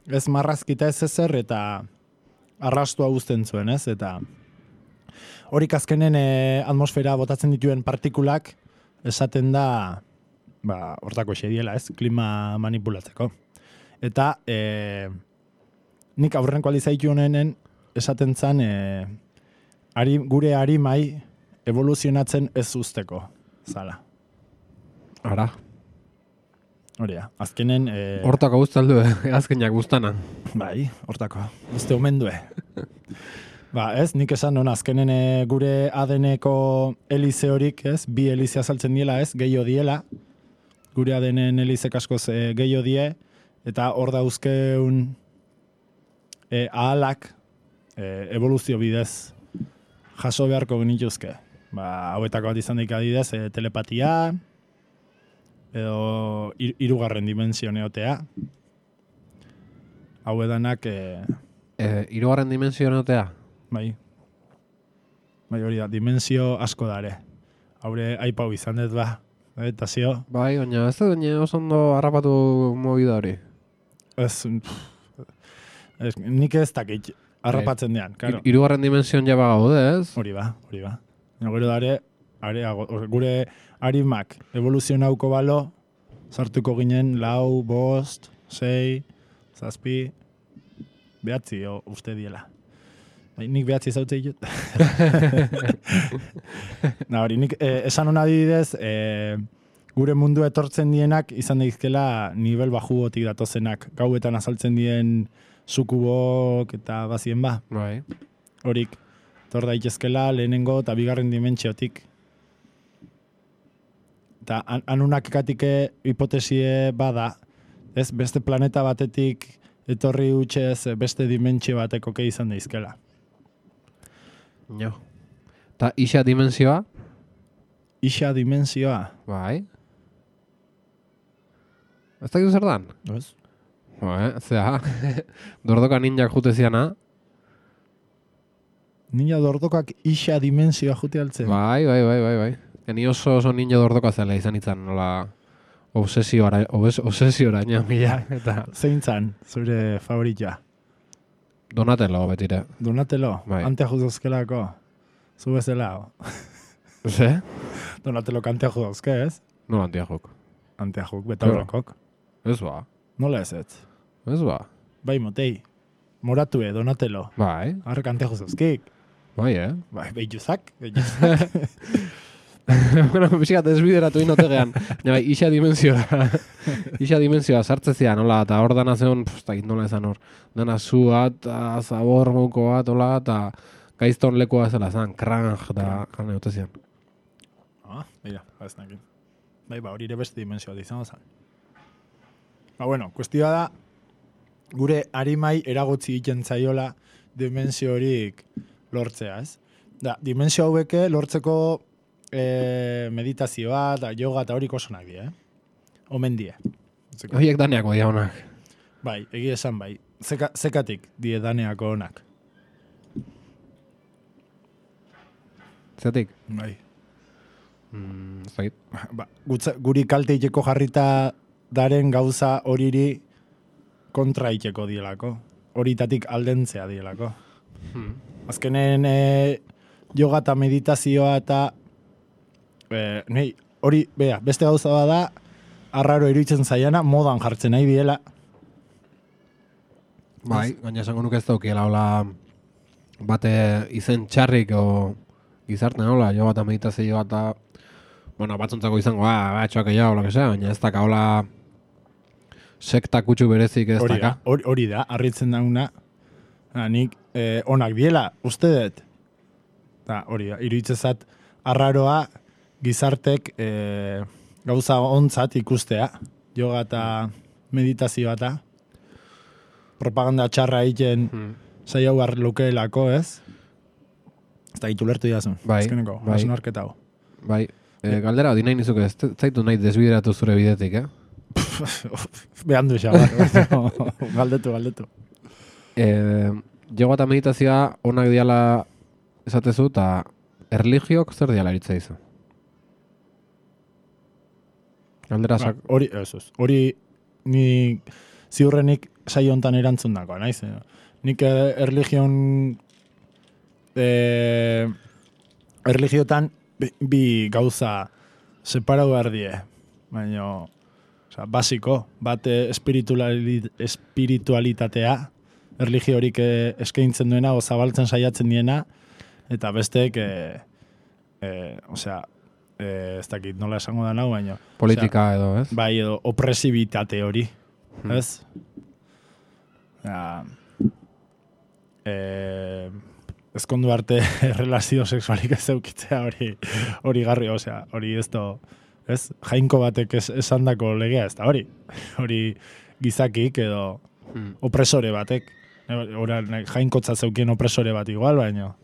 ez marrazkita ez ezer eta arrastua guzten zuen, ez? Eta horik azkenen e, atmosfera botatzen dituen partikulak esaten da ba, hortako xediela, ez? Klima manipulatzeko. Eta e, nik aurrenko alizaitu honenen esaten zan e, ari, gure harimai evoluzionatzen ez usteko, zala. Ara. Hori da, azkenen... E, Hortako guztaldu, eh? Azkenak guztana. bai, hortako, uste omen due. Ba, ez, nik esan non, azkenen e, gure A D N-eko helize horik, ez, bi helize azaltzen diela, ez, gehiago diela, gure A D N-en helizek askoz e, gehiago die, eta hor dauzkeun e, ahalak e, evoluzio bidez jaso beharko genituzke. Ba, hauetako bat izan daik adidez, e, telepatia, edo hirugarren dimensio neotea. Hau edanak... E, e, hirugarren dimensio neotea? Bai. Bai hori da, dimensio asko dare. Haure aipau izan dut ba. Eta zio? Bai, baina ez da dune oso ondo harrapatu movida hori. Ez, ez nik ez dakit harrapatzen dean. Claro. Hirugarren dimensioan jaba gaude, ez? Hori ba, hori ba. Gero dare, areago, gure harimak evoluzionauko balo, sartuko ginen lau, bost, sei, zazpi, behatzi, o, uste diela. Nik behatzi zautze ditut. Na hori, nik eh, esan hona didez, eh, gure mundu etortzen dienak izan daizkela nivel bajugotik datozenak. Gauetan azaltzen dien sukubok eta bazien ba. Bai. Horik, tor daitezkela lehenengo eta bigarren dimentsiotik. Eta an anunak ekatike hipotesie bada, ez beste planeta batetik etorri utxez beste dimentsio bateko ke izan daizkela. Jo. Ta isa dimensioa? Isa dimensioa? Bai. Ez dakizu zer dan? Ez. Bai, zera. Dordoka ninjak jute ziana. Ninja dordokak isa dimensioa jute altzen? Bai, bai, bai, bai, bai. Ni oso oso ninja dordoka zela izan itzan, nola obsesiora, obes, obsesiora, ina, mila. Eta zein zan, zure favorita? Donatello, betire. Donatello? Bai. Antea juzozkelako? Zu bezala? Ze? Donatello kantea juzozke, ez? No antia jok. Antea juk, betaurrakok. Ez ba. Nola ez ez? Ez ba. Bai, motei. Moratue, Donatello. Bai. Arrek antea juzozkik. Bai, eh? Bai, behituzak. Behituzak. bueno, pixkat desbideratu inotegean. Bai, isa dimensioa, isa dimensioa sartzezia, nola, eta hor dana zeon, pff, nola esan hor, dana zua, eta zabor mouko bat, hola, eta gaizton lekoa zela zan, kranj, eta jane otezian. Ah, mira, ez nakin. Bai, ba, hori ere beste dimensioa izango zen. Ba, bueno, kuestioa da, gure harimai eragotzi egiten zaiola dimensio horik lortzea, ez? Da, dimensio haueke lortzeko e, meditazioa, da, yoga eta horik oso nahi die, eh? Omen die. Horiek daneako dia honak. Bai, egia esan bai. Zeka, zekatik die daneako honak. Zeatik? Bai. Mm, zait. Ba, gutza, guri kalte iteko jarrita daren gauza horiri kontra iteko dielako. Horitatik aldentzea dielako. Hmm. Azkenen e, yoga eta meditazioa eta e, nei, hori, bea, beste gauza da arraro iruditzen zaiana, modan jartzen nahi diela. Bai, gaina esango nuke ez daukiela, hola, bate izen txarrik o gizarte nola, jo eta meditazioa eta, bueno, batzuntzako izango, ah, batxoak egia, hola que sea, baina ez daka, hola, sekta kutsu berezik ez Hori da, daka. hori, hori da, harritzen dauna, nik eh, onak diela, uste dut. Da, hori da, iruditzezat arraroa gizartek eh, gauza ontzat ikustea, yoga eta meditazioa eta propaganda txarra egiten Hmm. zaila hau lukeelako, ez? Ez da, itu lertu idazun. Bai, Azkeneko, bai. hausnarketa hau. Bai, e, galdera hori nahi nizuke, ez zaitu nahi desbideratu zure bidetik, eh? Behan du xabar. galdetu, galdetu. E, Yoga eta meditazioa onak diala esatezu, eta erligiok zer diala eritza izu? Galdera Ba, sak... hori, ez, ez. Hori ni ziurrenik saio hontan erantzun dagoa, naiz? eh? Nik eh, erligion eh, erligiotan bi, bi gauza separatu behar die. Baina, osea, basiko, bat eh, espirituali, espiritualitatea, erligio horik eh, eskaintzen duena, o zabaltzen saiatzen diena, eta besteek, eh, eh, osea, eh, ez dakit nola esango da nau, baina... Politika edo, ez? Bai, edo opresibitate hori, Hmm. ez? Ja, eh, ezkondu arte relazio sexualik ez eukitzea hori hori garri, osea, hori ez do, ez? Jainko batek ez, esandako legea ez da hori. Hori gizakik edo Hmm. opresore batek. Ora, jainkotza zeukien opresore bat igual, baino.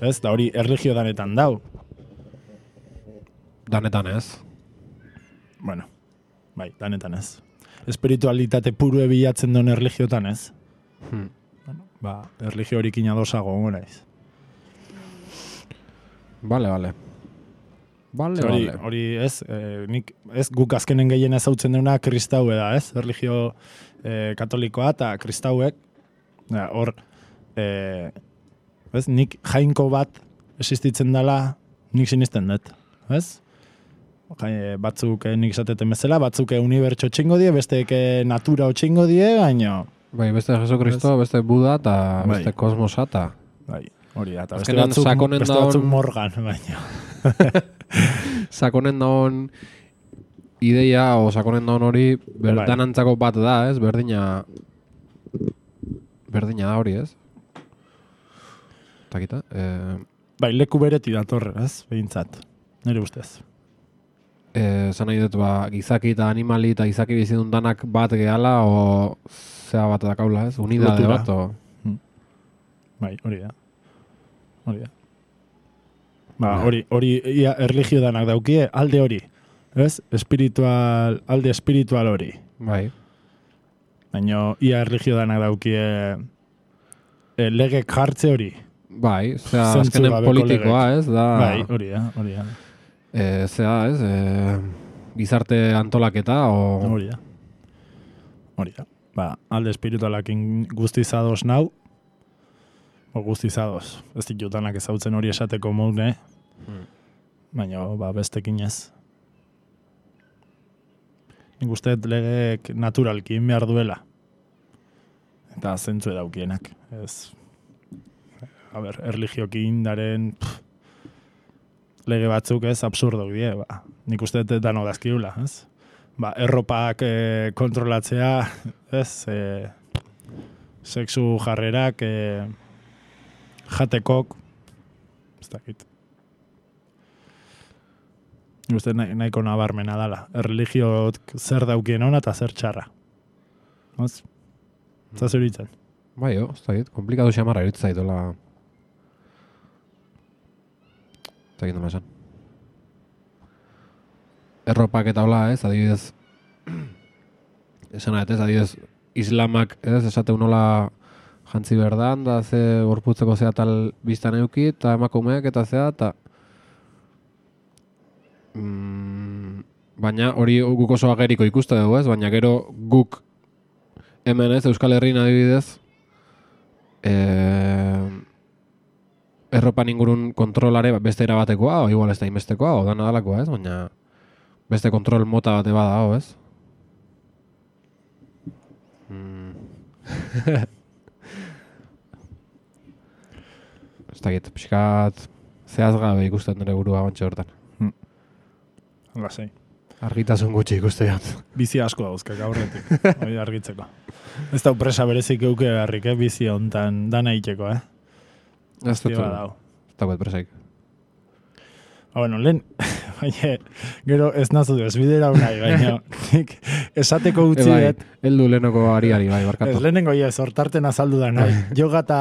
Ez? Da hori erligio danetan dau. Danetan ez. Bueno, bai, danetan ez. Espiritualitate purue bilatzen duen erligiotan ez. Hmm. Bueno, ba, erligio horikin adosago gongo naiz. Bale, bale. Bale, Hori, bale. hori ez, eh, nik, ez guk azkenen gehien ezautzen duna kristau da, ez? Erligio eh, katolikoa eta kristauek, ja, hor, eh, ez, nik jainko bat existitzen dela, nik sinisten dut, ez? Jai, batzuk eh, nik esateten bezala, batzuk eh, unibertso txingo die, besteek eh, natura txingo die, baino, Bai, beste Jesu Kristo, beste Buda eta Bai. beste kosmosa eta... bai, hori da, eta beste Azkenean batzuk, sakonen beste daun- batzuk morgan, baino. Sakonen daun ideia, o sakonen daun hori, Bai. berdanantzako bat da, ez? Berdina... Berdina da hori, ez? Takita, eh... Bai, leku bereti datorre, ez? Behintzat, nire ustez. Eh, zan nahi dut, ba, gizaki eta animali eta gizaki bizidun danak bat gehala, o zea bat dakaula, ez? Unidade Lotura. bat, o... Bai, hori da. Hori da. Ba, hori, hori ia erligio danak daukie, alde hori. Ez? Espiritual, alde espiritual hori. Bai. Baina ia erligio danak daukie e, legek jartze hori. Bai, zea Zentzu azkenen gabeko politikoa, ez? Da... Bai, hori da, hori da. E, zea, ez? E, gizarte antolaketa, o... Hori da. Hori da. Ba, alde espiritualakin guztizados nau, o guztizados. Ez ditut danak ezautzen hori esateko moune, Hmm. baina ba, bestekin ez. Nik uste dut legeek naturalki egin behar duela. Eta zentzu edaukienak. Ez, a ber, erligioki indaren pff, lege batzuk ez absurdok die, ba. Nik uste dut dano dazkiula, ez? Ba, erropak e, kontrolatzea, ez? E, sexu jarrerak, e, jatekok, ez dakit. Nik uste nahi, nahiko nabarmena dala. Erligiot zer daukien ona eta zer txarra. Ez? Ez zuritzen. Bai, jo, ez dakit, komplikatu xamarra iritza zaitola. Ez dakit nola esan. Erropak eta hola, ez, adibidez, esan ez, adibidez, islamak, ez, esateu nola jantzi berdan, da ze gorputzeko zea tal biztan euki, eta emakumeak eta zea, eta mm, baina hori guk oso ageriko ikuste dugu, ez, baina gero guk hemen ez, Euskal Herrian adibidez, eh, erropan ingurun kontrolare beste erabatekoa, o igual ez da inbestekoa, o da nadalakoa, ez, baina beste kontrol mota bate bada, hau, ez? Mm. Ez dakit, pixkat zehazgabe ikusten nire burua bantxe hortan. Hmm. Lasai. Argitasun gutxi ikuste jat. Bizi asko dauzkak aurretik, hori argitzeko. Ez da presa berezik euke beharrik, eh? Bizi hontan dana itxeko, eh? Ez dut, badau. ez dagoet presaik. Ah, bueno, lehen, baina, gero ez nazu ez bidera unai, baina, nik esateko utzi E, bai, dut. heldu lehenoko ariari, bai, Ez barkatu. lehenengo ez, hortarten azaldu da, nahi. Yoga eta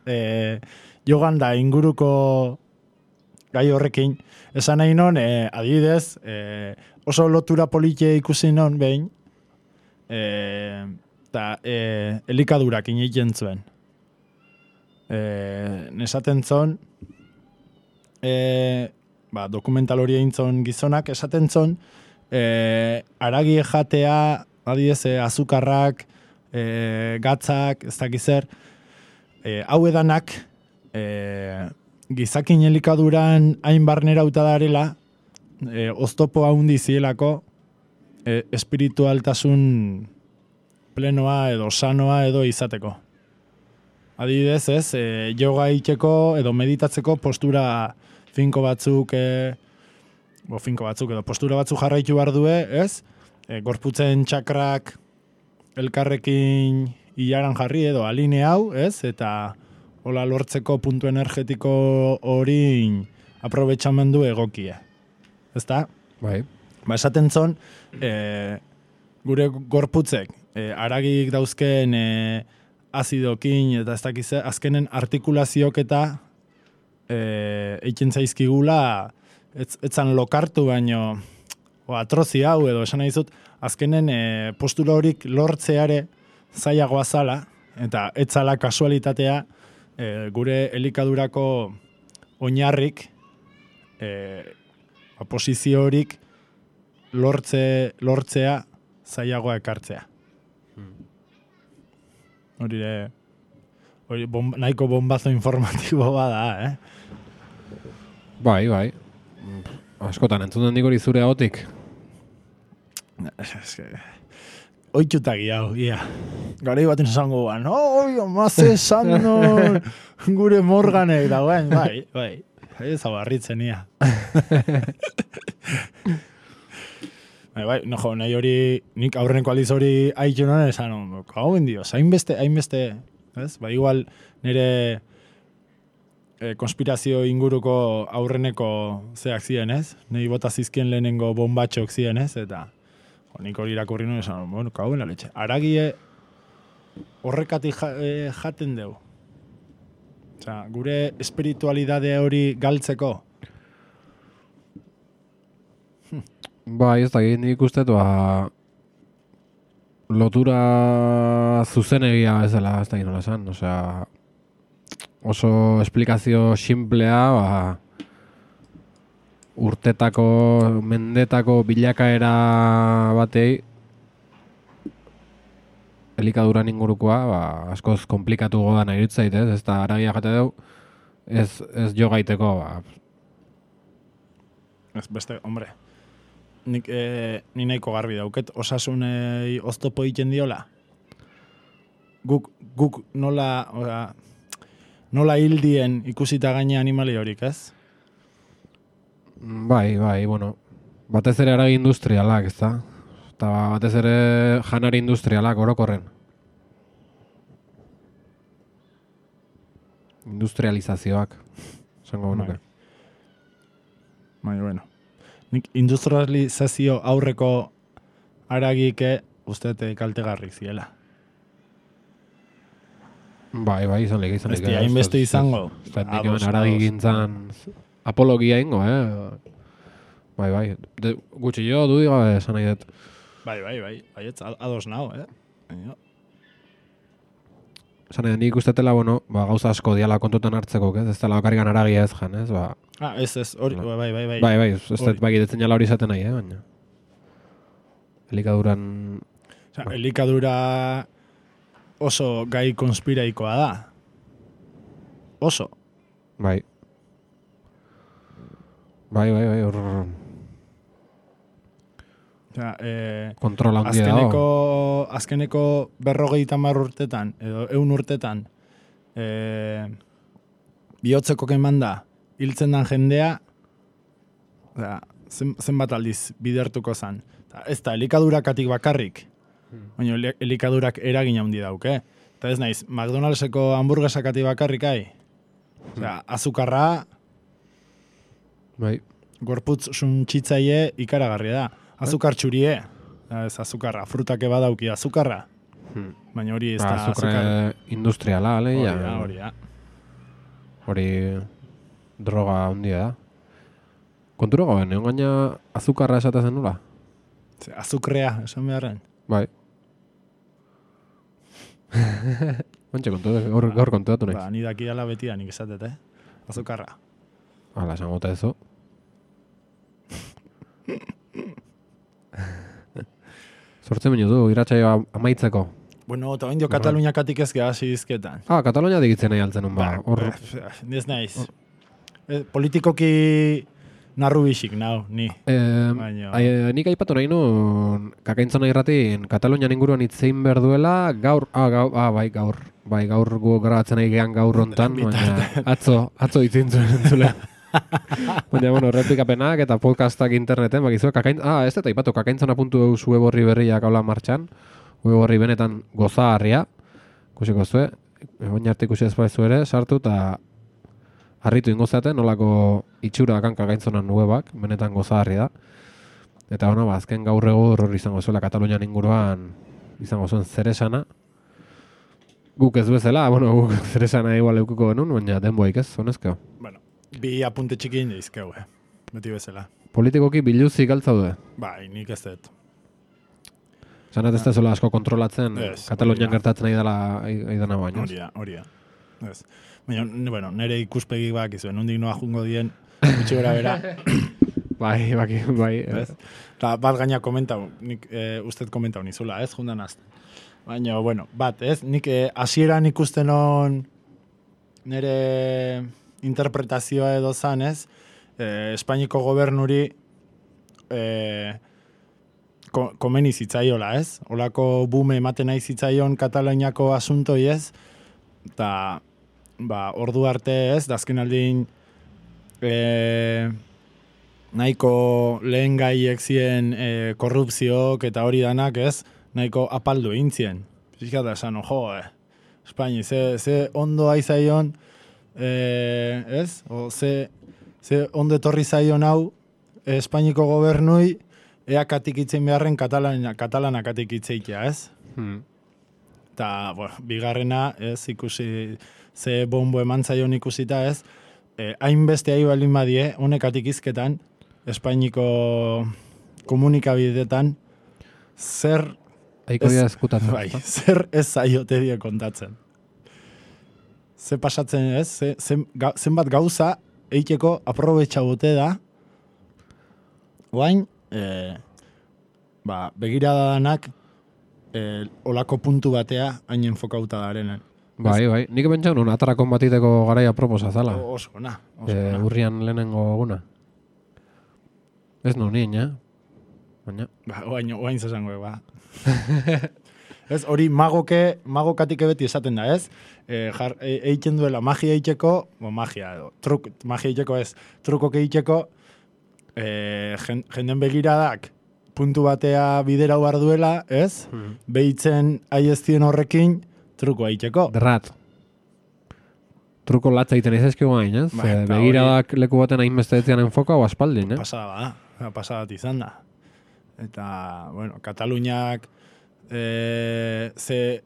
eh, jogan da inguruko gai horrekin, esan nahi non, eh, adibidez, eh, oso lotura politie ikusi non behin, eta eh, elikadurak ineiken zuen. Eh, nesaten zon, eh, ba, dokumental hori egin zon gizonak, esaten zon, eh, aragi jatea, adibidez, eh, azukarrak, eh, gatzak, ez dakiz zer, eh, hau edanak, eh, gizakin elikaduran hain barnera darela, eh, oztopo haundi zielako, eh, espiritualtasun plenoa edo sanoa edo izateko. Adibidez, ez, eh, yoga itxeko edo meditatzeko postura finko batzuk, e, bo, finko batzuk edo postura batzuk jarraitu behar due, ez? E, gorputzen txakrak elkarrekin hilaran jarri edo aline hau, ez? Eta hola lortzeko puntu energetiko hori aprobetxamendu egokie. Ezta? Bai. Ba, esaten zon, e, gure gorputzek, e, aragik dauzken e, azidokin eta ez dakiz, azkenen artikulaziok eta E, eiken zaizkigula ez, etzan lokartu baino o atrozi hau edo esan nahi zut azkenen e, postura horik lortzeare zailagoa zala eta etzala kasualitatea e, gure elikadurako oinarrik e, posizio horik lortze, lortzea zailagoa ekartzea. Hori de hori bom, nahiko bombazo informatibo bada, eh? Bai, bai. Askotan, entzuten dik hori zure ahotik. Oitxutagi hau, ia. Garai baten esango guan, oi, amaze esan non, gure morganek dagoen, bai, bai. Ez hau harritzen, ia. bai, bai, no jo, nahi hori, nik aurreneko aldiz hori haitxu non esan, hau bendio, hainbeste, hainbeste, ez? Ba, igual, nire e, konspirazio inguruko aurreneko zeak ziren, ez? Nei bota zizkien lehenengo bombatxok ziren, ez? Eta jo, nik hori irakurri nuen esan, bueno, kauen aletxe. Aragie horrekatik ja, e, jaten deu. Osea, gure espiritualidade hori galtzeko. Bai, ez da, nik uste, ba, lotura zuzenegia ez dela, ez da nola esan, osea, oso esplikazio simplea, ba, urtetako, mendetako bilakaera batei, elikaduran ingurukoa, ba, askoz komplikatu godan iritzait, ez, ez da, aragia jate deu, ez, ez jo gaiteko, ba. Ez beste, hombre, nik, e, ni nahiko garbi dauket, osasunei oztopo egiten diola. Guk, guk nola, oza, nola hildien ikusita gaine animali horik, ez? Bai, bai, bueno, batez ere aragi industrialak, ez da? Eta batez ere janari industrialak orokorren. Industrializazioak, esango genuke. Bai, bueno. Nik industrializazio aurreko aragike uste kaltegarri ziela. Bai, bai, izan lege, izan lege. Beste, hainbeste izango. Ez da, nik hemen aragi gintzan apologia ingo, eh? Bai, bai. De, gutxi jo, du diga, esan nahi dut. Bai, bai, bai. Baietz, ados nao, eh? Baina. Esan nahi dut, nik ustetela, bueno, ba, gauza asko diala kontutan hartzeko, ez? Ez dela bakarrikan aragia ez jan, ez? Ba, ah, ez, ez, hori, bai, bai, bai. Bai, bai, ez dut bai gidetzen jala hori izaten nahi, eh? Baina. Elikaduran... Osa, elikadura oso gai konspiraikoa da. Oso. Bai. Bai, bai, bai, hor... Osea, eh, kontrola handia azkeneko, dago. azkeneko berrogeita hamar urtetan, edo eun urtetan, eh, bihotzeko kemanda, hiltzen dan jendea, osea, zen, zenbat aldiz bidertuko zan. Ez da, elikadurakatik bakarrik, baina elikadurak eragin handi dauke. Eta ez naiz, McDonaldseko hamburguesakatik bakarrik ai. Osea, azukarra, Bai. gorputz suntxitzaile ikaragarria da. Azukar txurie, ez azukarra, frutake badauki azukarra. Hmm. Baina hori ez Ba, da azukre azukar. industriala, ale, Hori ja. da, hori da. Hori droga handia da. Kontura goben, egon gaina azukarra esatezen nula? Ze, azukrea, esan beharren. Bai. Ontxe kontu, gaur, gaur kontuatu nahi. Ba, ni daki ala beti da nik esatet, eh? Azukarra. Hala, esan gota ezo. Sortzen minutu, iratxaio amaitzeko. Bueno, eta oindio Kataluniakatik ez geha hizketan. Ah, Katalonia digitzen nahi altzen un ba. Hor, Ez naiz. Eh, politikoki narru bisik, nau, ni. eh, Baina- ai, nik aipatu nahi nun, kakaintzona irratin, Katalunian inguruan itzein behar duela, gaur, ah, gaur, ah, bai, gaur, bai, gaur gu grabatzen nahi gehan gaur hontan, baina atzo, atzo itzin zuen entzule. Baina, bueno, replikapenak eta podcastak interneten, bakizu, kakain, ah, ez eta ipatu, kakaintzona puntu eus web horri berriak haula martxan, web horri benetan gozaharria, kusiko zue, baina arte ikusi ez baizu ere, sartu eta harritu ingo zaten, nolako itxura dakan kakaintzonan webak, benetan gozaharri da. Eta, bueno, ba, azken gaur egur hori izango zuela Katalunian inguruan, izango zuen zeresana, guk ez bezala, bueno, guk zeresana igual eukuko genuen, baina denboik ez, honezkeo. Bueno, bi apunte txikin izkeu, eh? Beti bezala. Politikoki biluzik altzaude. Bai, nik ez dut. Zanat ez da zola asko kontrolatzen, Ez, Katalunian hori da. gertatzen nahi dela aidana baino. Hori da, hori da. Ez. Baina, n- bueno, nire ikuspegi bak izuen, nondik noa jungo dien, gutxi gora bera. Bai, baki, bai. Ez? Ta bat gaina komentau, nik e, usted komentau nizula, ez, jundan azten. Baina, bueno, bat, ez, nik e, hasieran ikusten on nire interpretazioa edo zan, ez, e, Espainiko gobernuri e, ko, komeni zitzaiola, ez? Olako bume ematen nahi zitzaion Kataloniako asuntoi, ez? Eta, ba, ordu arte, ez, dazken aldin e, nahiko lehen gaiek zien e, korrupziok eta hori danak, ez? Nahiko apaldu egin zien. Fíjate, esan, jo, eh, Espaini, ze, ze ondo aizaion, e, ez? O, ze, ze ondo etorri zaion hau e, Espainiko gobernui, ea katik itzen beharren katalana, katalana katik itzeikia, ez? Hmm. Eta, bueno, bigarrena, ez, ikusi, ze bombo eman zaion ikusita, ez, eh, hainbeste ahi baldin badie, honekatik izketan, Espainiko komunikabideetan, zer, Aiko Ez- dira eskutatzen. bai, ezta? zer ez zaiote die kontatzen. Ze pasatzen, ez, ze, zen, ga, zenbat gauza eiteko aprobetxa bote da, guain, eh, ba, begirada danak, eh, olako puntu batea hain enfokauta darenen. Bai, bai. Nik pentsa nun atarakon batiteko garaia proposa zala. O- Oso, na. Oso, Eh, na. urrian lehenengo eguna. Ez nu nien, ja? Baina, Ba, oain, oain zesango, ba. Ez, hori magoke, magokatik beti esaten da, ez? E, jar, e, eitzen duela magia eiteko, bo, magia edo, truk, magia eiteko ez, trukok eiteko, e, jen, jenden begiradak puntu batea bidera behar duela, ez? Hmm. Behitzen aiestien horrekin truko aiteko. Derrat. Truko latza egiten ez ezkigu gain, ez? Ba, Eh, eta begiradak leku baten hainbeste etzian enfoka o aspaldin, eh? Pasada da, pasada bat izan da. Eta, bueno, Kataluniak e, ze,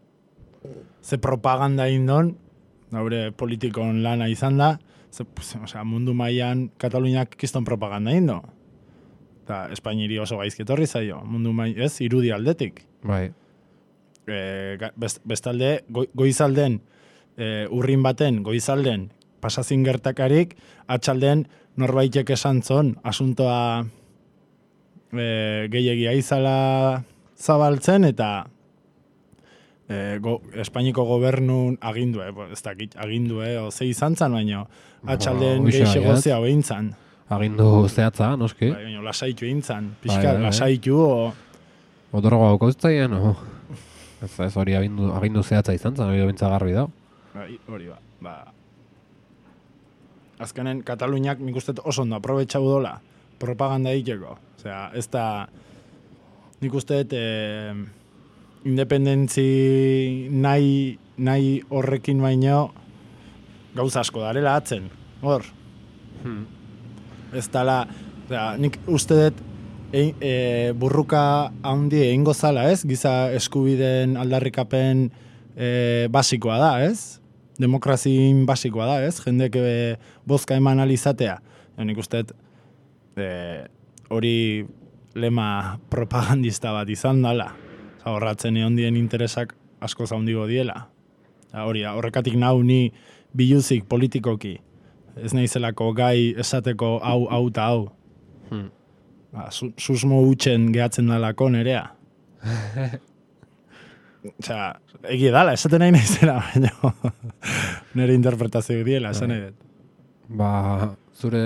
ze propaganda indon, gaure politikon lana izan da, ze, pues, osea, mundu mailan Kataluniak kiston propaganda indo. Eta Espainiri oso gaizketorri zaio, mundu mai, ez, irudi aldetik. Bai. E, best, bestalde, go, goizalden, e, urrin baten, goizalden, pasazin gertakarik, atxalden norbaitek esan zon, asuntoa e, gehiagia izala zabaltzen, eta e, go, Espainiko gobernun agindue, ez dakit, agindue, o ze izan zan, baino, atxalden Ba, hoxe gehiago baiat. zea behin zan. Agindu zehatza, noski. Bai, baina lasaitu egin zan, Bai, pixka, bai, bai. lasaitu, o... Otorgo hau kauztaien, no? Ez, ez hori agindu, agindu zehatza izan zen, hori bintza garbi da. Bai, hori ba. ba. Azkenen, Kataluniak nik uste oso ondo aprobetxau dola propaganda egiteko. Osea, ez da, nik uste eh, independentzi nahi, nahi horrekin baino gauza asko darela atzen. Hor, Hmm. ez dala, osea, nik uste dut e, e, burruka handi egingo zala, ez? Giza eskubideen aldarrikapen e, basikoa da, ez? Demokrazin basikoa da, ez? Jendek e, bozka eman alizatea. Ja, nik uste dut e, hori lema propagandista bat izan dala. Osa, horratzen egon dien interesak asko zaundigo diela. Ja, hori, horrekatik nau ni biluzik politikoki. Ez naizelako gai esateko hau, hau eta hau. Hmm. Ba, su, susmo utxen gehatzen dalako nerea. Osea, egia dala, esaten nahi naizela, baina nire interpretazio diela, esan nahi dut. Ba, zure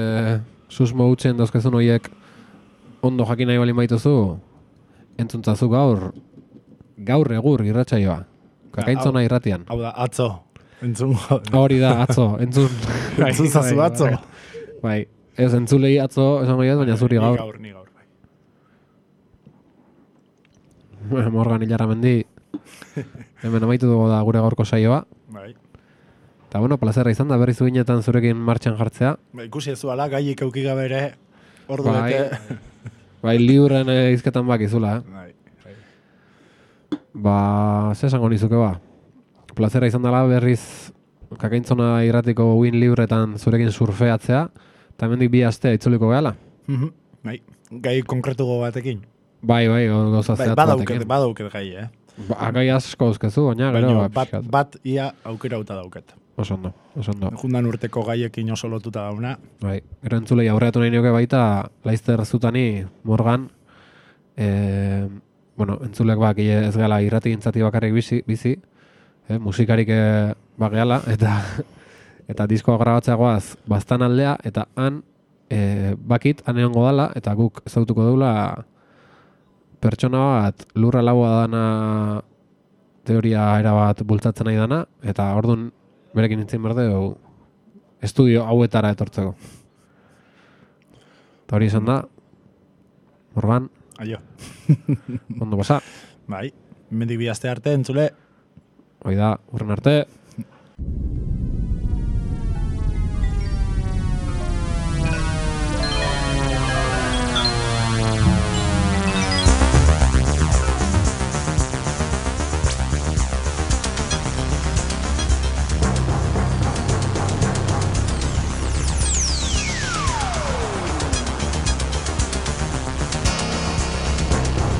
susmo utzen dauzkezun horiek ondo jakin nahi bali maituzu, entzuntzazu gaur, gaur egur irratsaioa. Kakaintzona irratian. Hau da, atzo. Entzungo. Hori da, atzo, entzun. Entzunzazu atzo. Bai, ez entzulei atzo, esango jaz, baina zuri Ni gaur. gaur, ni gaur. Bueno, Morgan Ilarramendi, hemen amaitu dugu da gure gaurko saioa. Bai. Eta bueno, plazerra izan da berriz uginetan zurekin martxan jartzea. Ba, ikusi ez zuala, gaiik euki gabe ere, ordu Bai. bete. Bai, libren eh, izketan bakizula, eh? Bai, bai. Ba, ze esango nizuke ba. Plazera izan dela berriz Kakaintzona irratiko win libretan zurekin surfeatzea, eta hemendik bi astea itzuliko gehala. Mhm, bai, gai konkretugo batekin. Bai, bai, gauza Bai, zehatz badauket, batekin. badauket gai, eh? Ba, gai asko euskezu, baina gero, Baina ba, bat, pixkat. bat ia aukera uta dauket. Oso ondo, oso ondo. Jundan urteko gaiekin oso lotuta dauna. Bai, gero entzulei aurreatu nahi nioke baita, Laizter Zutani, Morgan, e, bueno, entzulek bak ez gala irrati gintzati bakarrik bizi, bizi eh, musikarik eh, bageala, eta eta diskoa grabatzeagoaz bastan aldea, eta han e, bakit, han egongo dala, eta guk ezautuko deula pertsona bat lurra laua dana teoria erabat bultzatzen nahi dana, eta orduan berekin nintzen berde estudio hauetara etortzeko. Eta hori izan da, Morgan, Aio. ondo pasa. Bai, mendik bi aste arte entzule. Hoi da, urren arte.